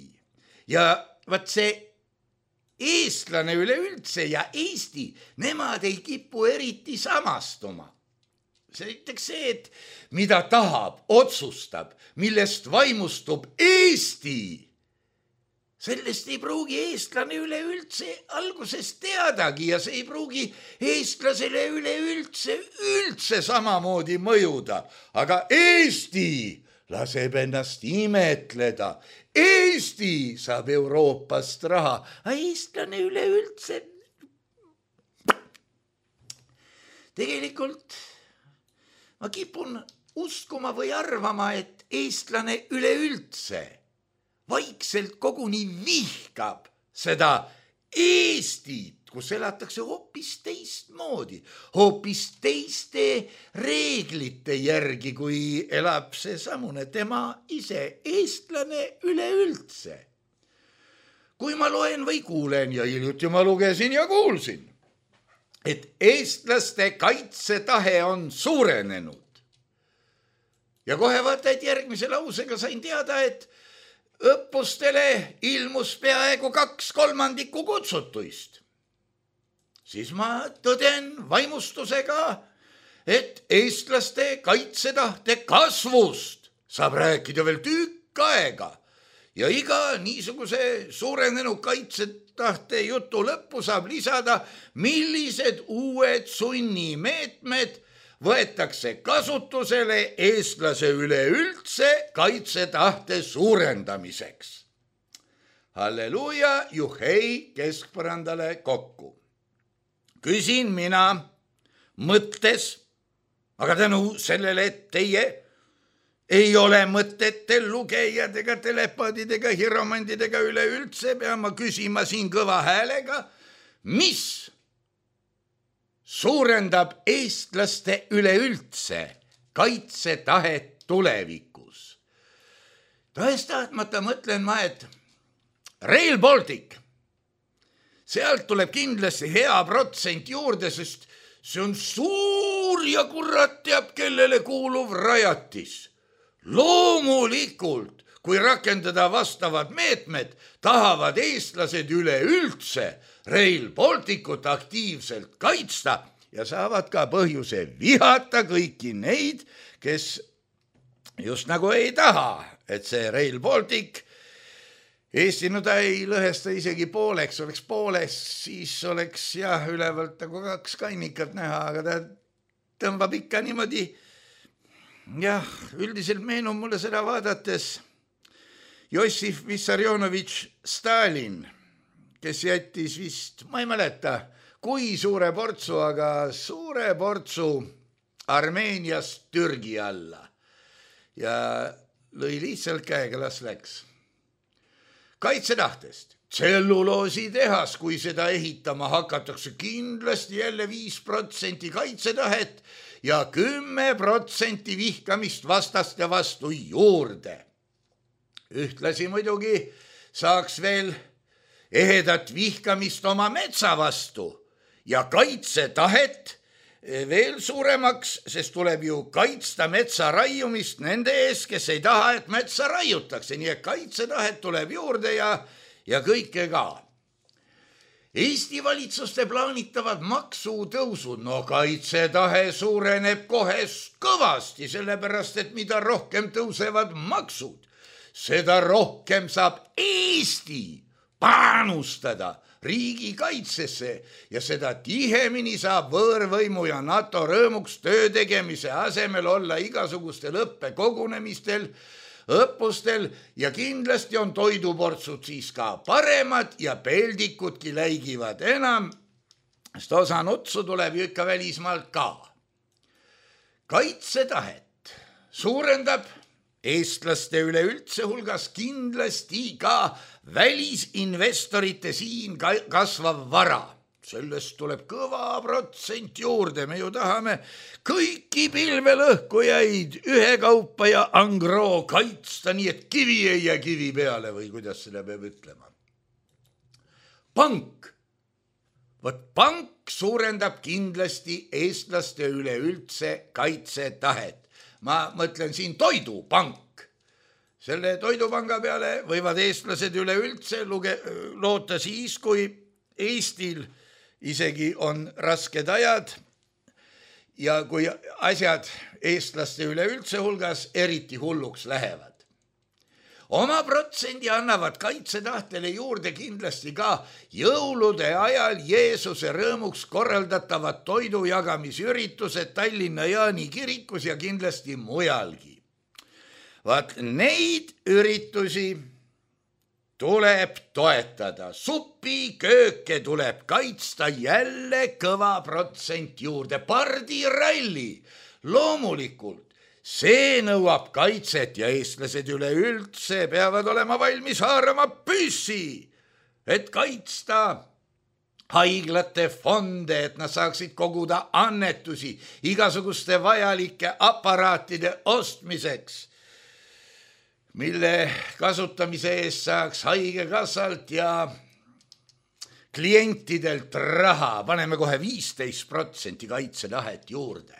ja vaat see eestlane üleüldse ja Eesti, nemad ei kipu eriti samastuma. See näiteks see, et mida tahab, otsustab, millest vaimustub Eesti. Sellest ei pruugi eestlane üleüldse algusest teadagi ja see ei pruugi eestlasele üleüldse üldse samamoodi mõjuda. Aga Eesti laseb ennast imetleda. Eesti saab Euroopast raha, aga eestlane üleüldse tegelikult ma kipun uskuma või arvama, et eestlane üleüldse vaikselt koguni vihkab seda Eestit, kus elatakse hoopis teistmoodi, hoopis teiste reeglite järgi, kui elab see samune tema ise, eestlane üleüldse. Kui ma loen või kuulen ja hiljuti ma lugesin ja kuulsin, et eestlaste kaitsetahe on suurenenud. Ja kohe vaata, et järgmise lausega sain teada, et õppustele ilmus peaaegu kaks kolmandikku kutsutuist. Siis ma tõden vaimustusega, et eestlaste kaitsetahte kasvust saab rääkida veel tükk aega ja iga niisuguse suurenenud kaitsetahte jutu lõppu saab lisada, millised uued sunnimeetmed võetakse kasutusele eestlase üleüldse kaitsetahte suurendamiseks. Halleluuja, juhei keskpõrandale kokku. Küsin mina mõttes, aga tänu sellele, et teie ei ole mõtete lugejad ega telepaadidega, hiromandidega üleüldse, pean ma küsima siin kõva häälega, mis suurendab eestlaste üleüldse kaitsetahet tulevikus. Tahes-tahtmata mõtlen ma, et Rail Baltic, sealt tuleb kindlasti hea protsent juurde, sest see on suur ja kurat teab, kellele kuuluv rajatis. Loomulikult, kui rakendada vastavad meetmed, tahavad eestlased üleüldse Rail Balticut aktiivselt kaitsta ja saavad ka põhjuse vihata kõiki neid, kes just nagu ei taha, et see Rail Baltic Eesti, no ta ei lõhesta isegi pooleks, oleks pooleks, siis oleks jah, ülevalt nagu kaks kainikat näha, aga ta tõmbab ikka niimoodi. Jah, üldiselt meenub mulle seda vaadates Jossif Vissarionovitš Stalin, kes jättis vist, ma ei mäleta, kui suure portsu, aga suure portsu Armeeniast Türgi alla ja lõi lihtsalt käega, las läks. Kaitsetahtest. Tselluloositehas, kui seda ehitama hakatakse, kindlasti jälle viis protsenti kaitsetahet ja kümme protsenti vihkamist vastaste vastu juurde. Ühtlasi muidugi saaks veel ehedat vihkamist oma metsa vastu ja kaitsetahet veel suuremaks, sest tuleb ju kaitsta metsa raiumist nende ees, kes ei taha, et metsa raiutakse, nii et kaitsetahet tuleb juurde ja, ja kõike ka. Eesti valitsuste plaanitavad maksutõusud, no kaitsetahe suureneb kohe kõvasti, sellepärast et mida rohkem tõusevad maksud, seda rohkem saab Eesti panustada riigikaitsesse ja seda tihemini saab võõrvõimu ja NATO rõõmuks töö tegemise asemel olla igasugustel õppekogunemistel, õppustel ja kindlasti on toiduportsud siis ka paremad ja peldikudki läigivad enam, sest osa nutsu tuleb ju ikka välismaalt ka. Kaitsetahet suurendab eestlaste üleüldse hulgas kindlasti ka välisinvestorite siin kasvav vara. Sellest tuleb kõva protsent juurde. Me ju tahame kõiki pilvelõhkujaid ühekaupa ja angroo kaitsta, nii et kivi ei jää kivi peale või kuidas seda peab ütlema. Pank. Võt pank suurendab kindlasti eestlaste üleüldse kaitsetahet. Ma mõtlen siin toidupank. Selle toidupanga peale võivad eestlased üleüldse luge- loota siis, kui Eestil isegi on rasked ajad ja kui asjad eestlaste üleüldse hulgas eriti hulluks lähevad. Oma protsendi annavad kaitsetahtele juurde kindlasti ka jõulude ajal Jeesuse rõõmuks korraldatavad toidujagamisüritused Tallinna Jaani kirikus ja kindlasti mujalgi. Vaat neid üritusi tuleb toetada. Supikööke tuleb kaitsta jälle kõva protsent juurde. Pardiralli loomulikult. See nõuab kaitset ja eestlased üleüldse peavad olema valmis haarama püssi, et kaitsta haiglate fonde, et nad saaksid koguda annetusi igasuguste vajalike aparaatide ostmiseks, mille kasutamise eest saaks haigekassalt ja klientidelt raha. Paneme kohe viisteist protsenti kaitsetahet juurde.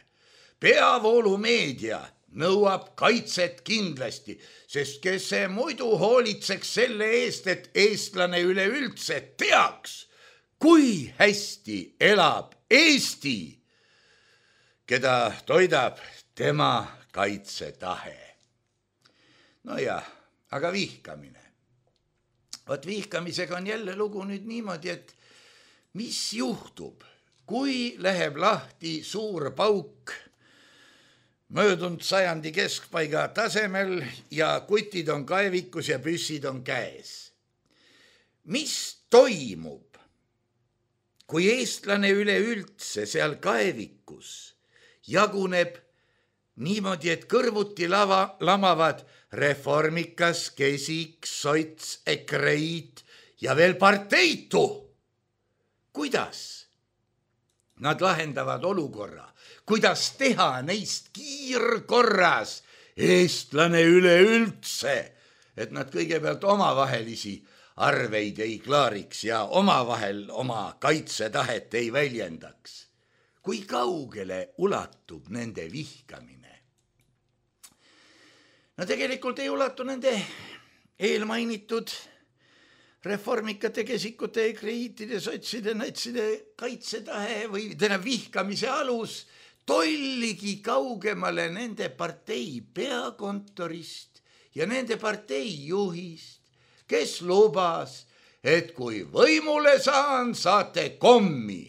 Peavoolumeedia nõuab kaitset kindlasti, sest kes see muidu hoolitseks selle eest, et eestlane üleüldse teaks, kui hästi elab Eesti, keda toidab tema kaitsetahe. No jah, aga vihkamine. Vot vihkamisega on jälle lugu nüüd niimoodi, et mis juhtub, kui läheb lahti suur pauk möödunud sajandi keskpaiga tasemel ja kutid on kaevikus ja püssid on käes. Mis toimub, kui eestlane üleüldse seal kaevikus jaguneb niimoodi, et kõrvuti lava, lamavad Reformikas, Kesik, Sots, Ekreit ja veel parteitu? Kuidas nad lahendavad olukorra? Kuidas teha neist kiirkorras eestlane üleüldse, et nad kõigepealt omavahelisi arveid ei klaariks ja omavahel oma kaitsetahet ei väljendaks? Kui kaugele ulatub nende vihkamine? No tegelikult ei ulatu nende eelmainitud reformikate, kesikute, ekreiitide, sotside, natside kaitsetahe või täna vihkamise alus tolligi kaugemale nende partei peakontorist ja nende partei juhist, kes lubas, et kui võimule saan, saate kommi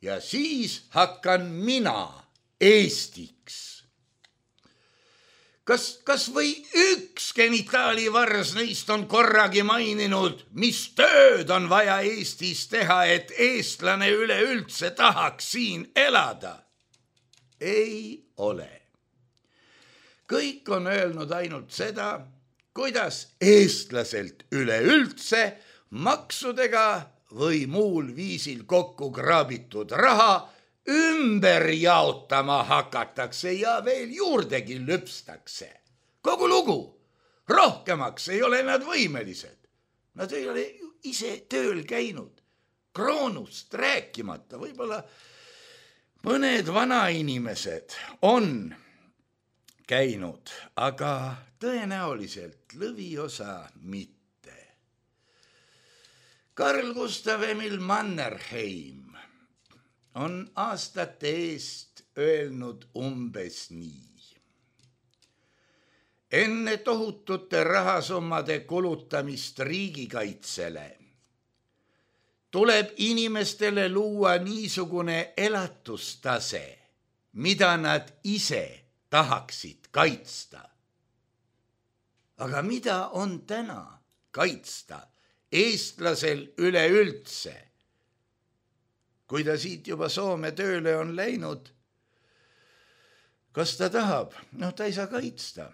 ja siis hakkan mina Eestiks. Kas, kas või üks genitaalivars neist on korragi maininud, mis tööd on vaja Eestis teha, et eestlane üleüldse tahaks siin elada? Ei ole. Kõik on öelnud ainult seda, kuidas eestlaselt üleüldse maksudega või muul viisil kokku kraabitud raha ümber jaotama hakatakse ja veel juurdegi lüpstakse. Kogu lugu, rohkemaks ei ole nad võimelised. Nad ei ole ise tööl käinud, kroonust rääkimata, võib-olla mõned vanainimesed on käinud, aga tõenäoliselt lõviosa mitte. Carl Gustav Emil Mannerheim on aastate eest öelnud umbes nii. Enne tohutute rahasummade kulutamist riigikaitsele tuleb inimestele luua niisugune elatustase, mida nad ise tahaksid kaitsta. Aga mida on täna kaitsta eestlasel üleüldse? Kui ta siit juba Soome tööle on läinud, kas ta tahab? No ta ei saa kaitsta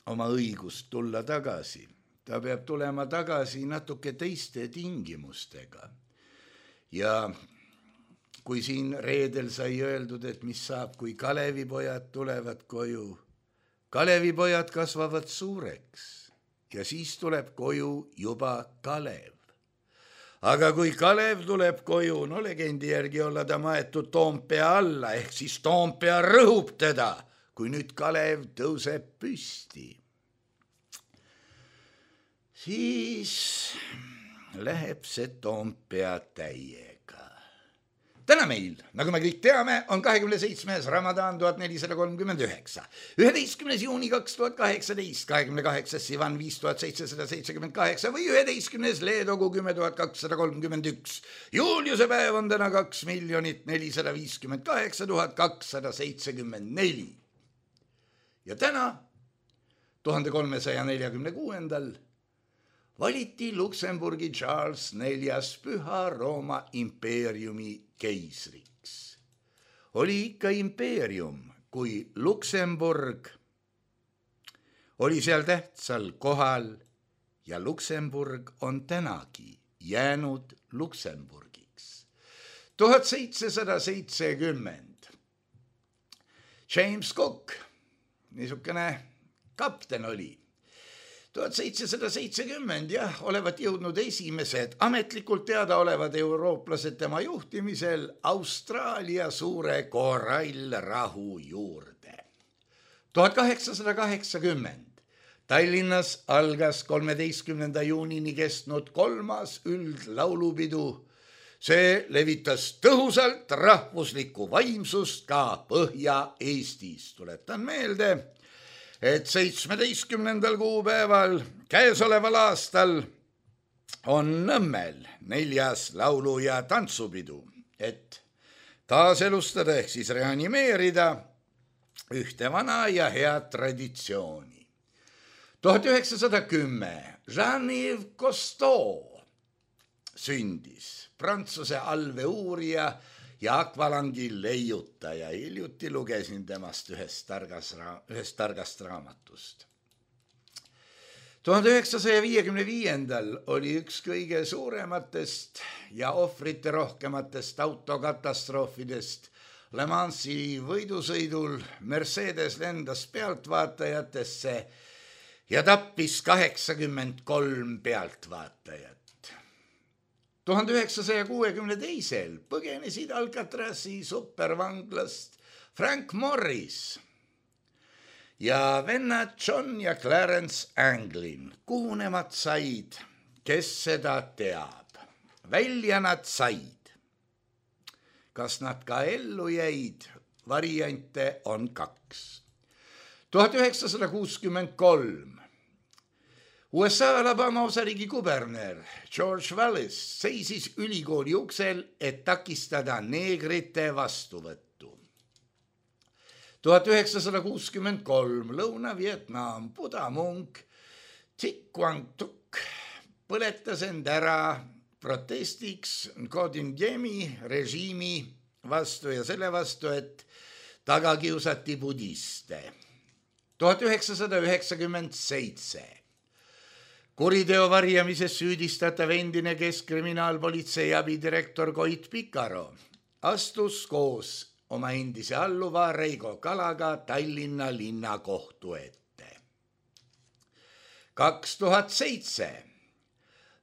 oma õigust tulla tagasi. Ta peab tulema tagasi natuke teiste tingimustega. Ja kui siin reedel sai öeldud, et mis saab, kui Kalevipojad tulevad koju. Kalevipojad kasvavad suureks ja siis tuleb koju juba Kalev. Aga kui Kalev tuleb koju, no legendi järgi olla ta maetud Toompea alla, ehk siis Toompea rõhub teda, kui nüüd Kalev tõuseb püsti. Siis läheb see Toompea täiega. Täna meil, nagu me kõik teame, on kahekümne seitsmes Ramadan tuhat nelisada kolmkümmend üheksa, üheteistkümnes juuni kaks tuhat kaheksateist, kahekümne kaheksas Sivan viis tuhat seitsesada seitsekümmend kaheksa või üheteistkümnes Leedogu kümme tuhat kakssada kolmkümmend üks. Juuliuse päev on täna kaks miljonit nelisada viiskümmend kaheksa tuhat kakssada seitsekümmend neli. Ja täna, tuhande kolmesaja neljakümne kuuendal, valiti Luksemburgi Charles neljas Püha Rooma impeeriumi keisriks. Oli ikka impeerium, kui Luksemburg oli seal tähtsal kohal ja Luksemburg on tänagi jäänud Luksemburgiks. tuhat seitsesada seitsekümmend. James Cook, niisugune kapten oli. tuhat seitsesada seitsekümmend, jah, olevat jõudnud esimesed ametlikult teada olevad eurooplased tema juhtimisel Austraalia suure korallrahu juurde. tuhat kaheksasada kaheksakümmend Tallinnas algas kolmeteistkümnenda juunini kestnud kolmas üldlaulupidu. See levitas tõhusalt rahvuslikku vaimsust ka Põhja-Eestis. Tuletan meelde, et seitsmeteistkümnendal kuupäeval käesoleval aastal on Nõmmel neljas laulu- ja tantsupidu, et taaselustada ehk siis reanimeerida ühte vana ja head traditsiooni. tuhat üheksasada kümme Jean-Yves Cousteau sündis, Prantsuse allveeuurija ja akvalangi leiutaja. Hiljuti lugesin temast ühest targast, ühest targast raamatust. tuhande üheksasaja viiekümne viiendal oli üks kõige suurematest ja ohvrite rohkematest autokatastroofidest. Le Mansi võidusõidul Mercedes lendas pealtvaatajatesse ja tappis kaheksakümmend kolm pealtvaatajat. tuhande üheksasaja kuuekümne teisel põgenesid Alcatrazi supervanglast Frank Morris ja vennad John ja Clarence Anglin. Kuhu nemad said, kes seda teab? Välja nad said. Kas nad ka ellu jäid? Variante on kaks. tuhat üheksasada kuuskümmend kolm U S A Alabama osariigi kuberner George Wallace seisis ülikooli uksel, et takistada neegrite vastuvõttu. tuhat üheksasada kuuskümmend kolm Lõuna-Vietnam budamunk Thich Quang Thuc põletas end ära protestiks Ngo Dinh Diemi režiimi vastu ja selle vastu, et taga kiusati budiste. tuhat üheksasada üheksakümmend seitse kuriteo varjamises süüdistatav endine keskkriminaalpolitsei abidirektor Koit Pikaro astus koos oma endise alluva Reigo Kalaga Tallinna linnakohtu ette. kaks tuhat seitse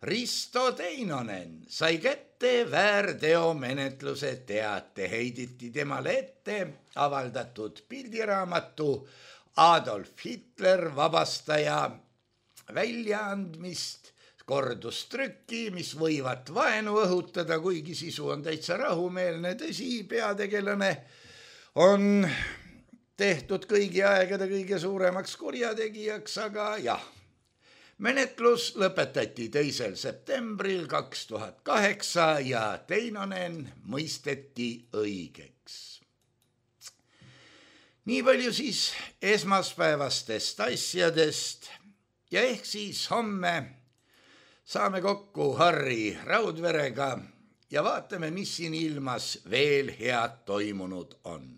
Risto Teinonen sai kätte väärteomenetluse teate, heiditi temale ette avaldatud pildiraamatu Adolf Hitler vabastaja väljaandmist, kordustrükki, mis võivat vaenu õhutada, kuigi sisu on täitsa rahumeelne. Tõsi, peategelane on tehtud kõigi aegade kõige suuremaks kurjategijaks, aga jah, menetlus lõpetati teisel septembril kaks tuhat kaheksa ja Teinonen mõisteti õigeks. Nii palju siis esmaspäevastest asjadest ja ehk siis homme saame kokku Harri Raudverega ja vaatame, mis siin ilmas veel head toimunud on.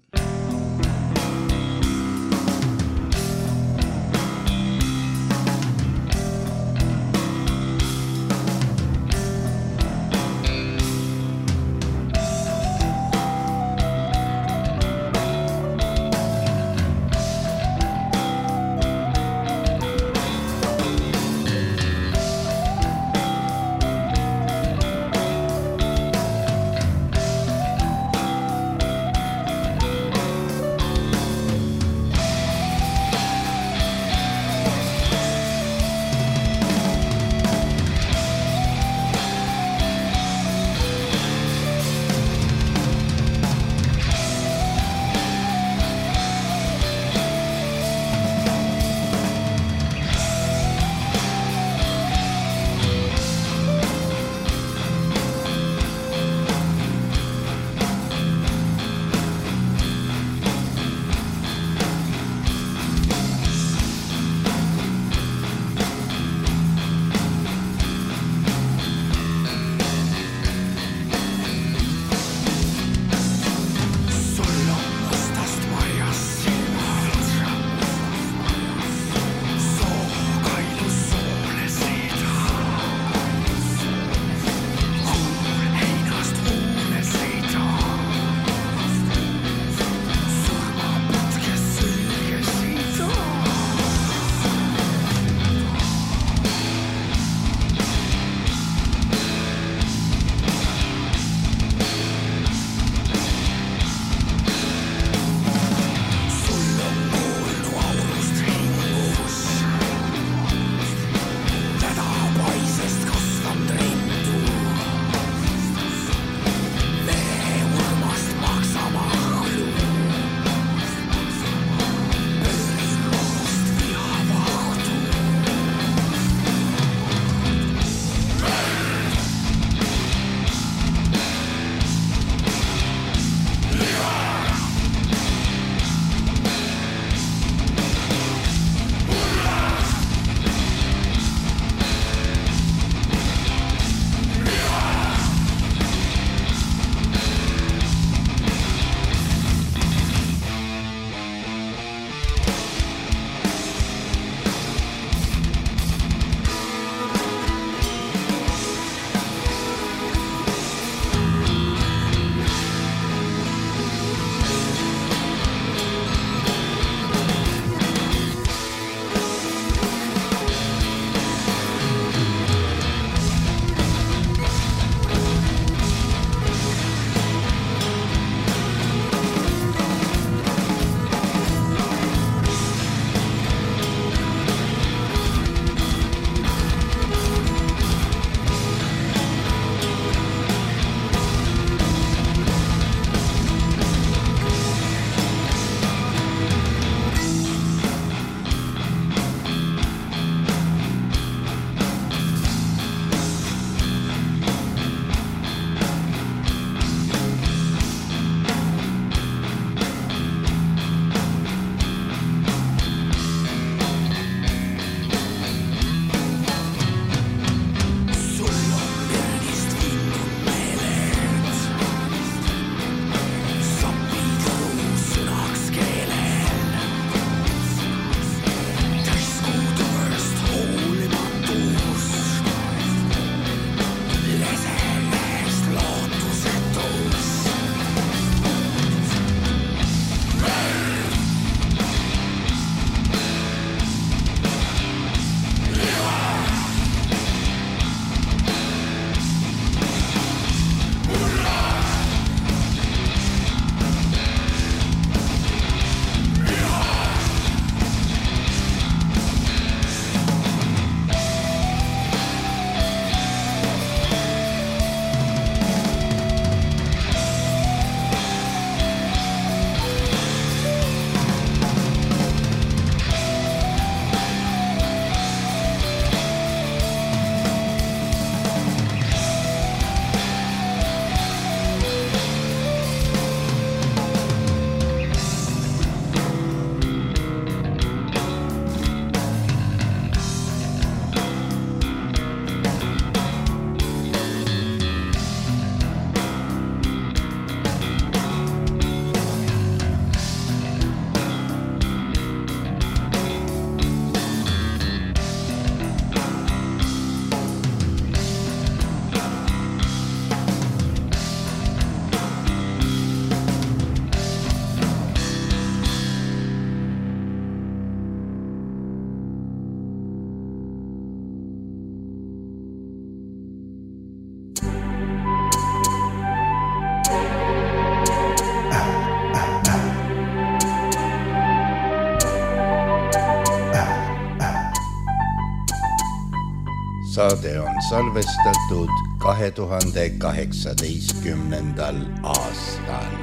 saade on salvestatud kahe tuhande kaheksateistkümnendal aastal.